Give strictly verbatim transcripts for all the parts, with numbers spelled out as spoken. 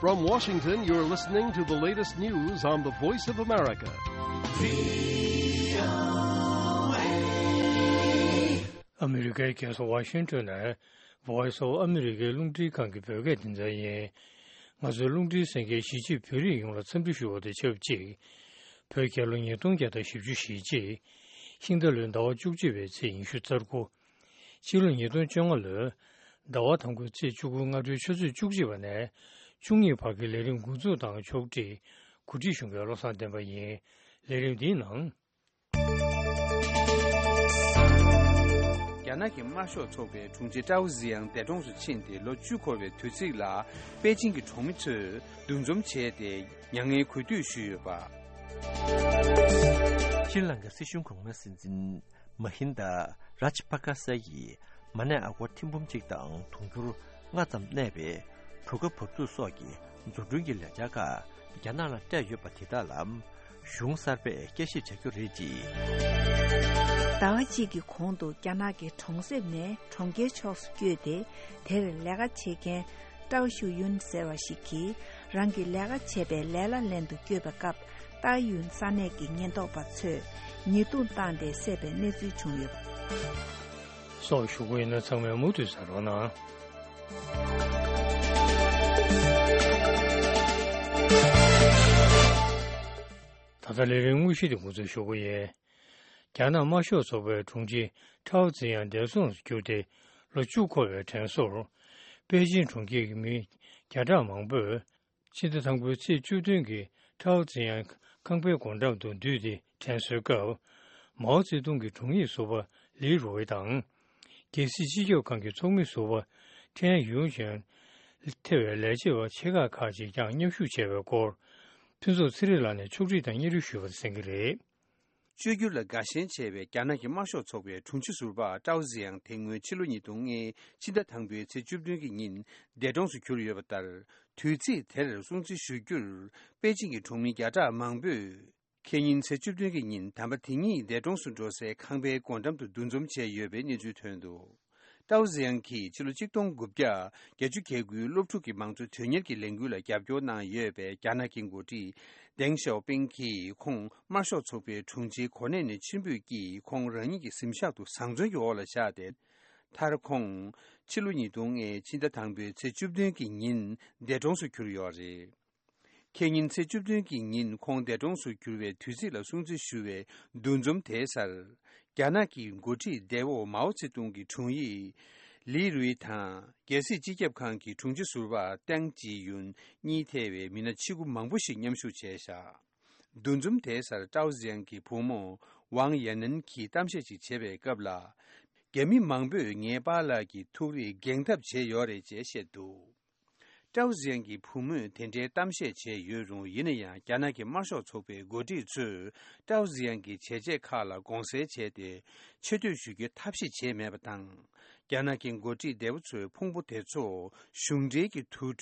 From Washington, you're listening to the latest news on the Voice of America. ཨ་མི་རི་ཀའི་རྒྱལ་ས་ཝ་ཤིང་ཊོན་ནས་Voice of America རླུང་འཕྲིན་ཁང་གི་བོད་སྐད་སྡེ་ཚན་ཡིན། ང་ཚོའི་རླུང་འཕྲིན་གསན་མཁན་གཞིས་བྱེས་བོད་རིགས་ཡོངས་ལ་འཚམས་འདྲི་ཞུ་བ་དང་ཆབས་ཅིག་བོད་རྒྱལ་ལོ་ཉིས་སྟོང་བརྒྱ་དང་བཞི་བཅུ་ཞེ་གཅིག་ཤིང་རྟ་ལོའི་ཟླ་བ་བཅུ་གཅིག་པའི་ཚེས་ཉི་ཤུ་རྩ་དགུ། ཕྱི་ལོ་ཉིས་སྟོང་བཅོ་ལྔ་ལོའི་ཟླ་བ་དང་པོའི་ཚེས་བཅུ་དགུ་སྔ་དྲོའི་ཆུ་ཚོད་བཅུ་གཅིག་པ་ནས་བཅུ་གཉིས་བར་གྱི་ལས་རིམ་འགོ་འཛུགས་དང་ཕྱོགས་སྒྲིག་གོ་སྒྲིག་ཞུ་མཁན་བློ་བཟང་བསྟན་པ་ཡིན། ལས་རིམ་འདིའི་ནང་། རྒྱ་ནག་གི་དམར་ཤོག་ཚོགས་པའི་དྲུང་ཆེ་ཀྲའོ་ཟི་ཡང་འདས་གྲོངས་སུ་ཕྱིན་ཏེ་ལོ་བཅུ་འཁོར་བའི་དུས་ཚིགས་ལ་པེ་ཅིང་གི་གྲོང་མི་ཚོས་འདུ་འཛོམས་བྱས་ཏེ་མྱ་ངན་གུས་འདུད་ཞུས་ཡོད་པ། ཤྲི་ལང་ཀའི་སྲིད་གཞུང་གོང་མའི་སྲིད་འཛིན་མ་ཧིན་དཱ་རཱཇ་པ་ཀ་ས་ཡིས་མ་ཎི་ཨ་སྒོར་ཐེར་འབུམ་གཅིག་དང་དུང་ཕྱུར་ལྔ་ཙམ་གནས་པའི་གྲུ་ཁ་བབས་ཚུགས་སོགས་ཀྱི་བཟོ་སྐྲུན་གྱི་ལས་འཆར་ཁག་རྒྱ་ནག་ལ་སྤྲད་ཡོད་པ་དེ་དག་ལ་གཞུང་གསར་པས་བསྐྱར་ཞིབ་བྱ་རྒྱུ་རེད་ཅེས། ཟླ་བ་གཅིག་གི་གོང་དུ་རྒྱ་ནག་གི་གྲོང་གསེབ་ནས་གྲོང་ཁྱེར་ཕྱོགས་སུ་བསྐྱོད་དེ། དེར་ལས་ཀ་བྱེད་མཁན་ཀྲའོ་ཞུ་ཡུན་ཟེར་བ་ཞིག་གིས་རང་གི་ལས་ཀ་བྱེད་པའི་ལས་གླ་ལེན་དུ་བསྐྱོད་པའི་སྐབས། ཏའོ་ཡུན་ས་གནས་ཀྱི་ཉེན་རྟོག་པ་ཚོས་ཉེས་རྡུང་བཏང་སྟེ་བསད་པའི་གནས་ཚུལ་བྱུང་ཡོད་པ་སོགས་ཞུ་གི་ཡིན་ན། ཚང་མས་མུ་མཐུད་གསན་རོགས་གནང་། ད་ལྟ་ལས་རིམ་དངོས་གཞི་དེ་འགོ་འཛུགས་ཞུ་གི་ཡིན། རྒྱ་ནག་དམར་ཤོག་ཚོགས་པའི་དྲུང་ཆེ་ཀྲའོ་ཙེ་ཡང་འདས་གྲོངས་སུ་གྱུར་ཏེ་ལོ་བཅུ་འཁོར་བའི་དྲན་གསོར། པེ་ཅིན་གྲོང་ཁྱེར་གྱི་མི་བརྒྱ་ཕྲག་མང་པོས་ཕྱི་ཟླ་དང་པོའི་ཚེས་བཅུ་བདུན་གྱི་ཀྲའོ་ཙེ་ཡང་ཁང་པའི་སྒོ་འགྲམ་དུ་འདུས་ཏེ་དྲན་གསོའི་སྐབས། མའོ་ཙེ་ཏུང་གི་དྲུང་ཡིག་ཟུར་པ་ལི་རུའེ་དང་། རྒྱལ་སྲིད་སྤྱི་ཁྱབ་ཁང་གི་ཚོགས་མི་ཟུར་པ་ཁྲེན་ཡུང་ཅན། ཐེ་བའི་ལས་བྱེད་པ་ཆེ་ཁག་ཁག་ཅིག་ཀྱང་མཉམ་ཞུགས་བྱས་པའི་སྐོར། ཕུན་ཚོགས་ཚེ་རིང་ལགས་ནས་ཕྱོགས་སྒྲིག་དང་སྙན་སྒྲོན་ཞུས་པ་གསན་གྱི་རེད། བཅོས་བསྒྱུར་ལ་དགའ་ཞེན་ཆེ་བའི་རྒྱ་ནག་གི་དམར་ཤོག་ཚོགས་པའི་དྲུང་ཆེ་ཟུར་པ་ཀྲའོ་ཟི་ཡང་དེ་སྔོན་ཕྱི་ལོ་ཉིས་སྟོང་ལྔའི་ཕྱི་ཟླ་དང་པོའི་ཚེས་བཅུ་བདུན་གྱི་ཉིན་འདས་གྲོངས་སུ་གྱུར་ཡོད་པ་ལྟར། དུས་ཚིགས་དེར་སྲུང་བརྩི་ཞུ་རྒྱུར་པེ་ཅིང་གི་གྲོང་མི་བརྒྱ་ཕྲག་མང་པོས། ཁེ་ཉིན་ཚེས་བཅུ་བདུན་གྱི་ཉིན་དམ་པ་དེ་ཉིད་འདས་གྲོངས་སུ་འགྲོ་སའི་ཁང་པའི་སྒོ་འགྲམ་དུ་འདུ་འཛོམས་བྱས་ཡོད་པའི་གནས་ཚུལ་ཐོན་འདུག་ཀྲའོ་ཟི་ཡང་གིས་ཕྱི་ལོ་གཅིག་སྟོང་དགུ་བརྒྱ་བརྒྱད་ཅུ་གྱ་དགུའི་སློབ་ཕྲུག་གི་མང་གཙོ་དོན་གཉེར་གྱི་ལས་འགུལ་ལ་རྒྱབ་སྐྱོར་གནང་ཡོད་པའི་རྒྱ་ནག་གི་འགོ་ཁྲིད་ཏེང་ཞའོ་ཕིང་གིས་ཁོང་དམར་ཤོག་ཚོགས་པའི་དྲུང་ཆེའི་གོ་གནས་ནས་ཕྱིར་འབུད་ཀྱིས་ཁོང་རང་ཉིད་ཀྱི་གཟིམ་ཤག་ཏུ་བཟང་བཙོན་གྱི་འོག་ལ་བཞག་སྟེ། མཐར་ཁོང་ཕྱི་ལོ་ཉིས་སྟོང་ལྔའི་ཕྱི་ཟླ་དང་པོའི་ཚེས་བཅུ་བདུན་གྱི་ཉིན་འདས་གྲོངས་སུ་གྱུར་ཡོད་རེད། ཁེ་ཉིན་ཚེས་བཅུ་བདུན་གྱི་ཉིན་ཁོང་འདས་གྲོངས་སུ་གྱུར་བའི་དུས་ཚིགས་ལ་སྲུང་བརྩི་ཞུ་བའི་འདུ་འཛོམས་དེའི་སར། རྒྱ་ནག་གི་འགོ་ཁྲིད་འདས་པོ་མའོ་ཙེ་ཏུང་གི་དྲུང་ཡིག་ལི་རུའི་དང་། རྒྱལ་སྲིད་སྤྱི་ཁྱབ་ཁང་གི་དྲུང་ཆེ་ཟུར་པ་ཏེང་ཅི་ཡུན་གཉིས་ཐེ་བའི་མི་སྣ་ཆེ་ཁུ་མང་པོ་ཞིག་མཉམ་ཞུགས་བྱས་བཞག་འདུ་འཛོམས་དེའི་སར་ཀྲའོ་ཟི་ཡང་གི་བུ་མོ་ཝང་ཡ་ནན་གྱིས་གཏམ་བཤད་ཅིག་བྱེད་པའི་སྐབས་ལ། རྒྱ་མི་མང་པོས་ངའི་པཱ་ལགས་ཀྱི་ཐུགས་རེ་འགེངས་ཐབས་བྱས་ཡོད་རེད་ཅེས་བཤད་འདུག་ཀྲའོ་ཟི་ཡང་གི་བུ་མོས་དེ་འདྲའི་གཏམ་བཤད་བྱས་ཡོད་རུང་། ཡིན་ན་ཡང་རྒྱ་ནག་གི་དམར་ཤོག་ཚོགས་པའི་འགོ་ཁྲིད་ཚོས་ཀྲའོ་ཟི་ཡང་གི་བྱས་རྗེས་ཁག་ལ་དགོངས་སེལ་བྱས་ཏེ་ཆེ་བསྟོད་ཞུ་རྒྱུའི་ཐབས་ཤེས་བྱས་མེད་པ་དང་། རྒྱ་ནག་གི་འགོ་ཁྲིད་འདས་པོ་ཚོའི་ཕུང་པོ་དེ་ཚོ་གཞུང་འབྲེལ་གྱི་དུར་ཁྲོད་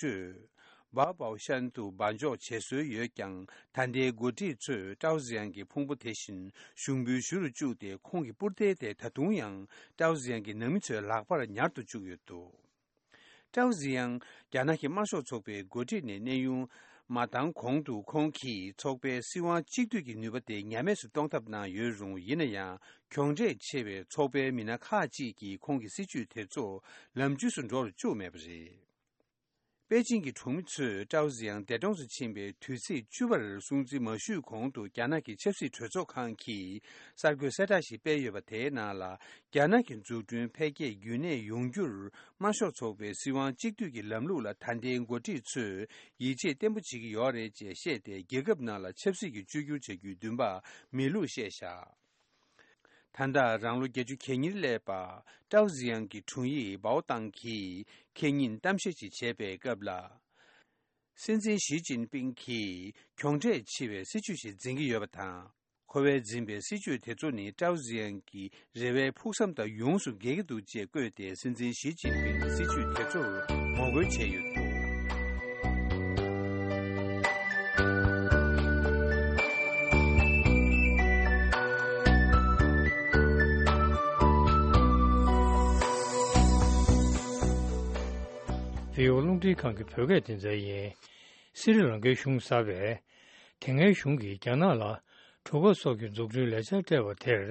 བའོ་བའོ་ཤན་དུ་འབག་འཇོག་བྱེད་སྲོལ་ཡོད་ཀྱང་། ད་ལྟའི་འགོ་ཁྲིད་ཚོས་ཀྲའོ་ཟི་ཡང་གི་ཕུང་པོ་དེ་བཞིན་གཞུང་འབུལ་ཞུ་རུ་བཅུག་སྟེ། ཁོང་གི་པུར་རྟའི་སྟེང་ད་དུང་ཡང་ཀྲའོ་ཟི་ཡང་གི་ནང་མི་ཚོའི་ལག་པར་ཉར་དུ་བཅུག་ཡོད་འདུག་ཀྲའོ་ཟི་ཡང་རྒྱ་ནག་གི་དམར་ཤོག་ཚོགས་པའི་འགོ་ཁྲིད་ནས་གནས་དབྱུང་མ་བཏང་གོང་དུ། ཁོང་གིས་ཚོགས་པའི་སྲིད་དབང་གཅིག་སྡུད་ཀྱི་ནུས་པ་དེ་ཉམས་དམས་སུ་གཏོང་ཐབས་གནང་ཡོད་རུང་། ཡིན་ན་ཡང་གྱོང་འབྲས་ཆེ་བའི་ཚོགས་པའི་མི་སྣ་ཁག་ཅིག་གིས་ཁོང་གི་སྲིད་བྱུས་དེ་ཚོ་ལམ་འཇུས་སུ་འགྲོ་རུ་བཅུག་མེད་པ་རེད། པེ་ཅིང་གི་གྲོང་མི་ཚོས་ཀྲའོ་ཟི་ཡང་འདས་གྲོངས་སུ་ཕྱིན་པའི་དུས་ཚིགས་བཅུ་པར་སྲུང་བརྩི་མ་ཞུས་གོང་དུ། རྒྱ་ནག་གི་ཆབ་སྲིད་གྲོས་ཚོགས་ཁང་གིས་གསར་འགོད་གསལ་བསྒྲགས་ཤིག་སྤེལ་ཡོད་པ། དེའི་ནང་ལ། རྒྱ་ནག་གི་འཛུགས་སྐྲུན་འཕེལ་རྒྱས་རྒྱུན་གནས་ཡོང་རྒྱུར་དམར་ཤོག་ཚོགས་པའི་སྲིད་དབང་གཅིག་སྡུད་ཀྱི་ལམ་ལུགས་ལ་ད་ལྟའི་འགོ་ཁྲིད་ཚོས་ཡིད་ཆེས་བརྟན་པོ་བྱེད་ཀྱི་ཡོད་རེད་ཅེས་བཤད་དེ། རྒྱལ་ཁབ་ནང་ལ་ཆབ་སྲིད་ཀྱི་བཅོས་བསྒྱུར་བྱ་རྒྱུའི་འདུན་པ་མེད་ལུགས་བཤད་བཞག་ད་ལྟ་རང་ལོ་བརྒྱད་ཅུ་གྱ་གཉིས་སླེབས་པ་ཀྲའོ་ཟི་ཡང་གི་དྲུང་ཡིག་བའོ་ཏང་གིས་ཁེ་ཉིན་གཏམ་བཤད་ཅིག་བྱས་པའི་སྐབས་ལ། སྲིད་འཛིན་ཞི་ཅིན་ཕིང་གིས་གྱོང་འབྲས་ཆེ་བའི་སྲིད་བྱུས་ཤིག་འཛིན་གྱི་ཡོད་པ་དང་། ཁོ་བས་འཛིན་པའི་སྲིད་བྱུས་དེ་ཚོ་ནི་ཀྲའོ་ཟི་ཡང་གི་རེ་བའི་ཕུགས་བསམ་དང་ཡོངས་སུ་འགལ་གྱི་འདུག་ཅེས་བཀོད་དེ། སྲིད་འཛིན་ཞི་ཅིན་ཕིང་གི་སྲིད་བྱུས་དེ་ཚོར་ངོ་རྒོལ་བྱས་ཡོད་འདུག་བྷི་ཨོ་རླུང་འཕྲིན་ཁང་གི་བོད་སྐད་སྡེ་ཚན་ཡིན། སི་རི་ལང་ཀའི་གཞུང་གསར་པས་དེ་སྔའི་གཞུང་གིས་རྒྱ་ནག་ལ་གྲུ་ཁ་སོགས་ཀྱི་འཛུགས་སྐྲུན་ལས་འཆར་སྤྲད་པ་དེར་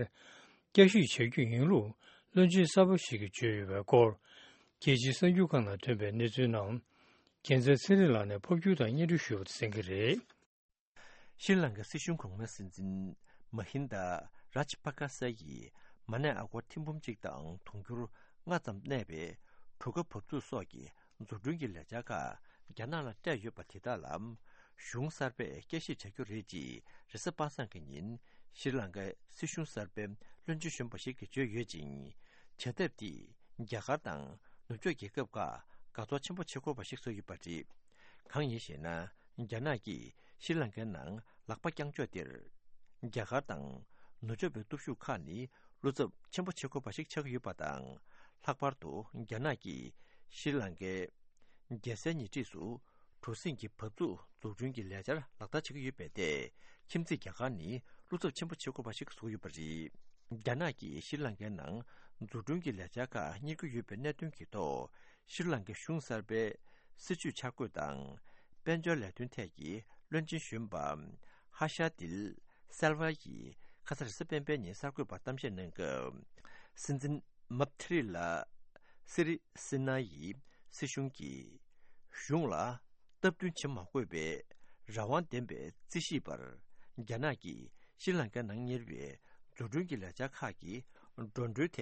བསྐྱར་ཞིབ་བྱ་རྒྱུ་ཡིན་ལུགས་བློན་ཆེན་གསར་པ་ཞིག་གིས་བརྗོད་ཡོད་པའི་སྐོར། རྒྱལ་སྤྱིའི་གསར་འགྱུར་ཁང་ནང་ཐོན་པའི་གནས་ཚུལ་རྣམས་རྒྱལ་མཚན་ཚེ་རིང་ལགས་ནས་ཕབ་སྒྱུར་དང་སྙན་སྒྲོན་ཞུས་པ་གསན་གྱི་རེད། ཤྲི་ལང་ཀའི་སྲིད་གཞུང་གོང་མའི་སྲིད་འཛིན་མ་ཧིན་དཱ་རཱཇ་པ་ཀ་ས་ཡིས་མ་ཎི་ཨ་སྒོར་ཐེར་འབུམ་གཅིག་དང་དུང་ཕྱུར་ལྔ་ཙམ་གནས་པའི་གྲུ་ཁ་བབས་ཚུགས་སོགས་ཀྱི་འཛུགས་སྐྲུན་གྱི་ལས་འཆར་ཁག་རྒྱ་ནག་ལ་སྤྲད་ཡོད་པ་དེ་དག་ལ་གཞུང་གསར་པས་བསྐྱར་ཞིབ་བྱ་རྒྱུ་རེད་ཅེས་རེས་གཟའ་པ་སངས་ཀྱི་ཉིན་ཤྲི་ལང་ཀའི་སྲིད་གཞུང་གསར་པའི་བློན་ཆེན་གཞོན་པ་ཞིག་གིས་བརྗོད་ཡོད་ཅིང་། བྱ་ཐབས་དེས་རྒྱ་གར་དང་ནུབ་ཕྱོགས་རྒྱལ་ཁབ་ཁག་དགའ་ཚོར་ཆེན་པོ་བྱེད་དགོས་པ་ཞིག་བཟོས་ཡོད་པ་རེད། གང་ཡིན་ཞེ་ན། རྒྱ་ནག་གིས་ཤྲི་ལང་ཀའི་ནང་ལག་པ་བརྐྱངས་ཕྱོགས་དེར། རྒྱ་གར་དང་ནུབ་ཕྱོགས་པའི་སྟོབས་ཤུགས་ཁག་ནི་བློ་འཚབ་ཆེན་པོ་བྱེད་དགོས་པ་ཞིག་ཆགས་ཀྱི་ཡོད་པ་དང་། ལྷག་པར་དུ་རྒྱ་ནག་གིས་ཤྲི་ལང་ཀའི་རྒྱལ་སའི་ཉེ་འཁྲིས་སུ་གྲུ་གཟིངས་ཀྱི་བབས་ཚུགས་འཛུགས་སྐྲུན་གྱི་ལས་འཆར་ལག་བསྟར་བྱེད་ཀྱི་ཡོད་པའི་ཐད། ཁྱིམ་མཚེས་རྒྱ་གར་ནི་བློ་འཚབ་ཆེན་པོ་བྱེད་དགོས་པ་ཞིག་བཟོས་ཡོད་པ་རེད། རྒྱ་ནག་གིས་ཤྲི་ལང་ཀའི་ནང་འཛུགས་སྐྲུན་གྱི་ལས་འཆར་ཁག་གཉེར་གྱི་ཡོད་པའི་གནད་དོན་གྱི་ཐོག་ཤྲི་ལང་ཀའི་གཞུང་གསར་པའི་སྲིད་བྱུས་འཆར་འགོད་དང་། དཔལ་འབྱོར་ལས་དོན་ཐད་ཀྱི་བློན་ཆེན་གཞོན་པ་ཧ་ཤ་དིལ་སེལ་ཝ་ཡིས་ཁ་ས་རེས་གཟའ་སྤེན་པའི་ཉིན་གསར་འགོད་པར་གཏམ་བཤད་གནང་སྐབས། སྲིད་འཛིན་མབ་ཐི་རི་ལ་སི་རི་སི་ན་ཡི་སྲིད་གཞུང་གིས་གཞུང་ལ་སྟབས་བསྟུན་བྱེད་མ་དགོས་པའི་རང་དབང་ལྡན་པའི་རྩིས་ཞིབ་པར། རྒྱ་ནག་གིས་ཤྲི་ལང་ཀའི་ནང་གཉེར་བའི་འཛུགས་སྐྲུན་གྱི་ལས་འཆར་ཁག་གི་འགྲོ་གྲོན་ཐད་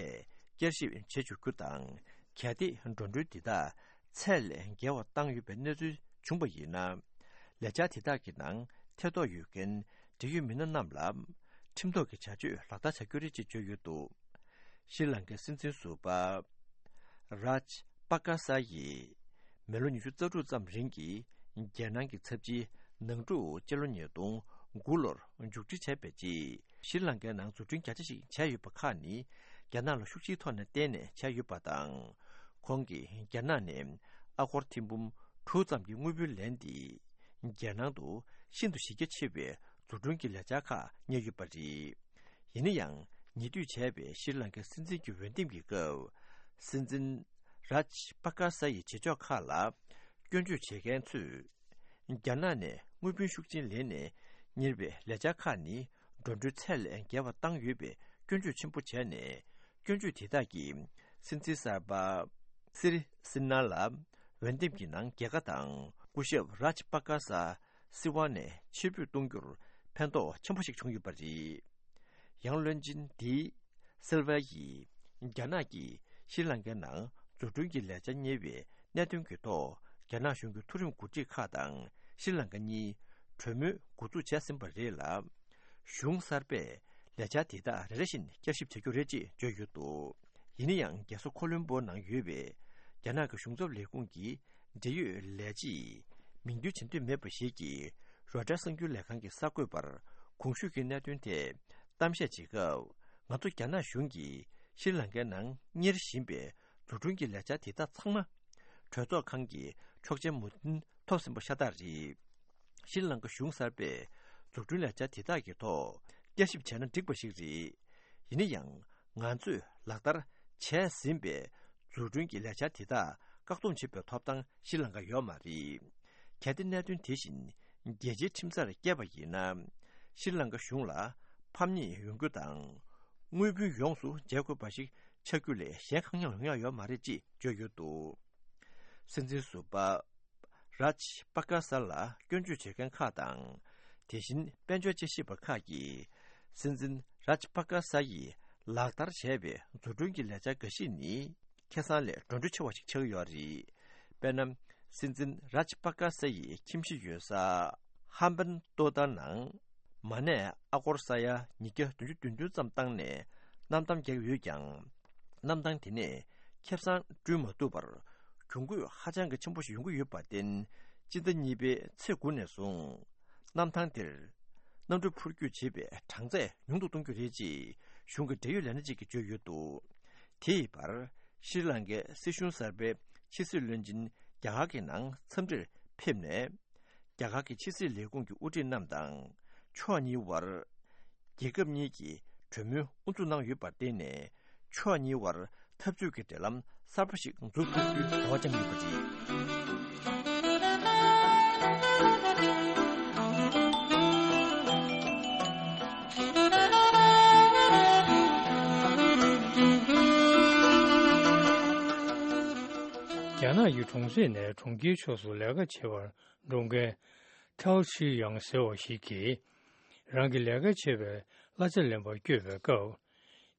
བསྐྱར་ཞིབ་བྱེད་འཇུག་རྒྱུ་དང་། གལ་ཏེ་འགྲོ་གྲོན་འདི་དག་ཚད་ལས་བརྒལ་བ་བཏང་ཡོད་པའི་གནས་ཚུལ་བྱུང་བ་ཡིན་ན། ལས་འཆར་དེ་དག་གི་ནང་ཐེ་གཏོགས་ཡོད་མཁན་འབྲེལ་ཡོད་མི་སྣ་རྣམས་ལ་ཁྲིམས་ཐོག་གི་བྱ་སྤྱོད་ལག་བསྟར་བྱ་རྒྱུ་རེད་ཅེས་བརྗོད་ཡོད་འདུག་ཤྲི་ལང་ཀའི་སྲིད་འཛིན་ཟུར་པ་རཱཇ་པ་ཀ་ས་ཡིས་མི་ལོ་ཉི་ཤུ་རྩ་དྲུག་ཙམ་རིང་གི་རྒྱལ་ནང་གི་ཚབ་ཆེའི་ནང་འཁྲུག་སྤྱི་ལོ་ཉིས་སྟོང་དགུ་ལོར་མཇུག་སྒྲིལ་བྱས་པའི་རྗེས། ཤྲི་ལང་ཀའི་ནང་འཛུགས་སྐྲུན་རྒྱ་ཆེ་ཞིག་བྱས་ཡོད་པ་ཁག་ནི་རྒྱ་ནག་ལ་ཤུགས་ཆེའི་ཐོག་ནས་བརྟེན་ནས་བྱས་ཡོད་པ་དང་། ཁོང་གིས་རྒྱ་ནག་ནས་ཨ་སྒོར་ཐེར་འབུམ་དྲུག་ཙམ་གྱི་དངུལ་བུན་ལེན་ཏེ། རྒྱལ་ནང་དུ་ཤིན་ཏུ་གཞི་རྒྱ་ཆེ་བའི་འཛུགས་སྐྲུན་གྱི་ལས་འཆར་ཁག་གཉེར་ཡོད་པ་རེད། ཡིན་ན་ཡང་། ཉེ་དུས་བྱས་པའི་ཤྲི་ལང་ཀའི་སྲིད་འཛིན་གྱི་འོས་འདེམས་ཀྱི་སྐབས། སྲིད་འཛིན་རཱཇ་པ་ཀ་ས་ཡི་བྱེད་ཕྱོགས་ཁག་ལ་སྐྱོན་བརྗོད་བྱེད་མཁན་ཚོས། རྒྱ་ནག་ནས་དངུལ་བུན་ཤུགས་ཆེན་ལེན་ནས་གཉེར་བའི་ལས་འཆར་ཁག་ནི་འགྲོ་གྲོན་ཚད་ལས་བརྒལ་བ་བཏང་ཡོད་པའི་སྐྱོན་བརྗོད་ཆེན་པོ་བྱས་ནས། སྐྱོན་བརྗོད་དེ་དག་གིས་སྲིད་འཛིན་གསར་པ་སི་རི་སི་ན་ལ་འོས་འདེམས་ཀྱི་ནང་རྒྱལ་ཁ་དང་སྐུ་ཞབས་རཱཇ་པ་ཀ་ས་སྲིད་དབང་ནས་ཕྱིར་འབུད་གཏོང་རྒྱུར་ཕན་ཐོགས་ཆེན་པོ་ཞིག་བྱུང་ཡོད་པ་རེད། ཡང་བློན་ཆེན་དེས་སིལ་ཝ་ཡིས་རྒྱ་ནག་གིས་ཤྲི་ལང་ཀའི་ནང་འཛུགས་སྐྲུན་གྱི་ལས་འཆར་གཉེར་བའི་གནད་དོན་གྱི་ཐོག་རྒྱ་ནག་གཞུང་གི་མཐོ་རིམ་འགོ་ཁྲིད་ཁག་དང་ཤྲི་ལང་ཀ་གཉིས་གྲོས་མོལ་འགོ་འཛུགས་བྱས་ཟིན་པ་རེད་ལ། གཞུང་གསར་པས་ལས་འཆར་དེ་དག་རེ་རེ་བཞིན་བསྐྱར་ཞིབ་བྱ་རྒྱུ་རེད་ཅེས་བརྗོད་ཡོད་འདུག་ཡིན་ན་ཡང་རྒྱལ་ས་ཁོ་ལོམ་པོ་ནང་ཡོད་པའི་རྒྱ་ནག་གི་གཞུང་ཚབ་ལས་ཁུངས་ཀྱི་འབྲེལ་ཡོད་ལས་བྱེད་མིང་འདོན་བྱེད་འདོད་མེད་པ་ཞིག་གིས་རོའི་ཊར་གསར་འགྱུར་ལས་ཁང་གི་གསར་འགོད་པར་གོང་ཞུས་ཀྱི་གནད་དོན་ཐད་གཏམ་བཤད་བྱེད་སྐབས། ང་ཚོ་རྒྱ་ནག་གཞུང་གིས་ཤྲི་ལང་ཀའི་ནང་གཉེར་བཞིན་པའི་འཛུགས་སྐྲུན་གྱི་ལས་འཆར་དེ་དག་ཚང་མ་གྲོས་ཚོགས་ཁང་གི་ཆོག་མཆན་མོས་མཐུན་ཐོབ་ཟིན་པ་ཤ་སྟག་རེད། ཤྲི་ལང་ཀ་གཞུང་གསར་པས་འཛུགས་སྐྲུན་ལས་འཆར་དེ་དག་གི་ཐོག་བསྐྱར་ཞིབ་བྱས་ན་འགྲིག་པ་ཞིག་རེད། ཡིན་ན་ཡང་། ང་ཚོས་ལག་བསྟར་བྱས་ཟིན་པའི་འཛུགས་སྐྲུན་གྱི་ལས་འཆར་དེ་དག་བཀག་སྡོམ་བྱེད་པའི་ཐོབ་ཐང་ཤྲི་ལང་ཀ་ཡོད་མ་རེད། གལ་ཏེ་གནད་དོན་དེ་བཞིན་རྒྱལ་སྤྱིའི་ཁྲིམས་སར་བསྐྱལ་བ་ཡིན་ན། ཤྲི་ལང་ཀ་གཞུང་ལ་ཕམ་ཉེས་ཡོང་རྒྱུ་དང་། དངུལ་བུན་ཡོངས་སུ་འཇལ་དགོས་པ་ཞིག་ཆགས་རྒྱུ་ལས་གཞན་གང་ཡང་ཡོང་ཡ་ཡོད་མ་རེད་ཅེས་བརྗོད་ཡོད་འདུག་སྲིད་འཛིན་ཟུར་པ་རཱཇ་པ་ཀ་ས་ལ་སྐྱོན་བརྗོད་བྱེད་མཁན་ཁག་དང་། དེ་བཞིན་དཔལ་འབྱོར་དཔྱད་ཞིབ་པ་ཁག་གིས། སྲིད་འཛིན་རཱཇ་པ་ཀ་ས་ཡིས་ལག་བསྟར་བྱས་པའི་འཛུགས་སྐྲུན་གྱི་ལས་འཆར་འགའ་ཞིག་ནི། ཁེ་བཟང་ལས་འགྲོ་གྲོན་ཆེ་བ་ཞིག་ཆགས་ཀྱི་ཡོད་རེད། དཔེར་ན། སྲིད་འཛིན་རཱཇ་པ་ཀ་ས་ཡི་ཁྱིམ་གཞིས་ཡོད་ས་ཧམ་བན་ཏོ་ཏཱ་ནང་མ་ཎི་ཨ་སྒོར་ས་ཡ་ཉིས་བརྒྱ་བདུན་ཅུ་དོན་བདུན་ཙམ་བཏང་ནས་གནམ་ཐང་བརྒྱབ་ཡོད་ཀྱང་། གནམ་ཐང་དེ་ནས་ཁེ་བཟང་བསྐྲུན་མ་ཐུབ་པར་གྱོང་གུད་ཧ་ཅང་གི་ཆེན་པོ་ཞིག་ཡོང་གི་ཡོད་པར་བརྟེན། སྤྱི་ཟླ་གཉིས་པའི་ཚེས་དགུ་ནས་བཟུང་། གནམ་ཐང་དེར་གནམ་གྲུ་འཕུར་སྐྱོད་བྱེད་པའི་གྲངས་ཚད་ཉུང་དུ་གཏོང་རྒྱུ་རེད་ཅེས་གཞུང་གི་འབྲེལ་ཡོད་ལས་སྣེ་གཅིག་གིས་བརྗོད་ཡོད་འདུག་དེ་ཡི་བར། ཤྲི་ལང་ཀའི་སྲིད་གཞུང་གསར་པའི་ཕྱི་སྲིད་བློན་ཆེན་རྒྱ་གར་གྱི་ནང་འཚམས་འདྲིར་ཕེབས་ནས། རྒྱ་གར་གྱི་ཕྱི་སྲིད་ལས་ཁུངས་ཀྱི་དབུ་ཁྲིད་རྣམས་དང་། ཕྱོགས་གཉིས་དབར། རྒྱལ་ཁབ་གཉིས་ཀྱིས་གྲོས་མོལ་དབུ་འཛུགས་གནང་ཡོད་པར་བརྟེན་ནས། ཕྱོགས་གཉིས་དབར་འཐབ་ཇུས་ཀྱི་འབྲེལ་ལམ་གསར་པ་ཞིག་འཛུགས་ཐུབ་རྒྱུའི་རེ་བ་བཅངས་ཡོད་པ་རེད། རྒྱ་ནག་གི་གྲོང་གསེབ་ནས་གྲོང་ཁྱེར་ཕྱོགས་སུ་ལས་ཀ་བྱེད་པར་འགྲོ་མཁན་ཐའོ་ཆི་ཡང་ཟེར་བ་ཞིག་གིས། རང་གི་ལས་ཀ་བྱེད་པའི་གླ་ཆ་ལེན་པར་བསྐྱོད་པའི་སྐབས།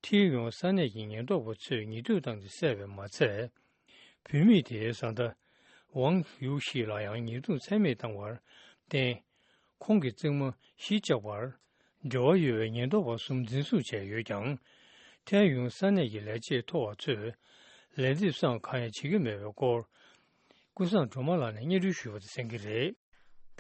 ཁྲིན་ཡུང་ས་གནས་ཀྱི་ཉེན་རྟོག་པ་ཚོས་ཉེས་རྡུང་བཏང་སྟེ་བསད་པས་མ་ཚད། བུད་མེད་དེའི་བཟའ་ཟླ་ཝང་ཡུའུ་ཤི་ལ་ཡང་ཉེས་རྡུང་ཚད་མེད་བཏང་བར་བརྟེན། ཁོང་གི་རྩེད་མོ་གཞིས་ཆགས་པར་འབྲེལ་བ་ཡོད་པའི་ཉེན་རྟོག་པ་གསུམ་འཛིན་བཟུང་བྱས་ཡོད་ཀྱང་། ཐའེ་ཡུན་ས་གནས་ཀྱི་ལས་བྱེད་མཐོ་བ་ཚོས་ལན་འདེབས་སམ་གང་ཡང་བྱེད་ཀྱི་མེད་པའི་སྐོར། ཀུན་བཟང་སྒྲོལ་མ་ལགས་ནས་སྙན་སྒྲོན་ཞུས་པ་དང་གསན་གྱི་རེད།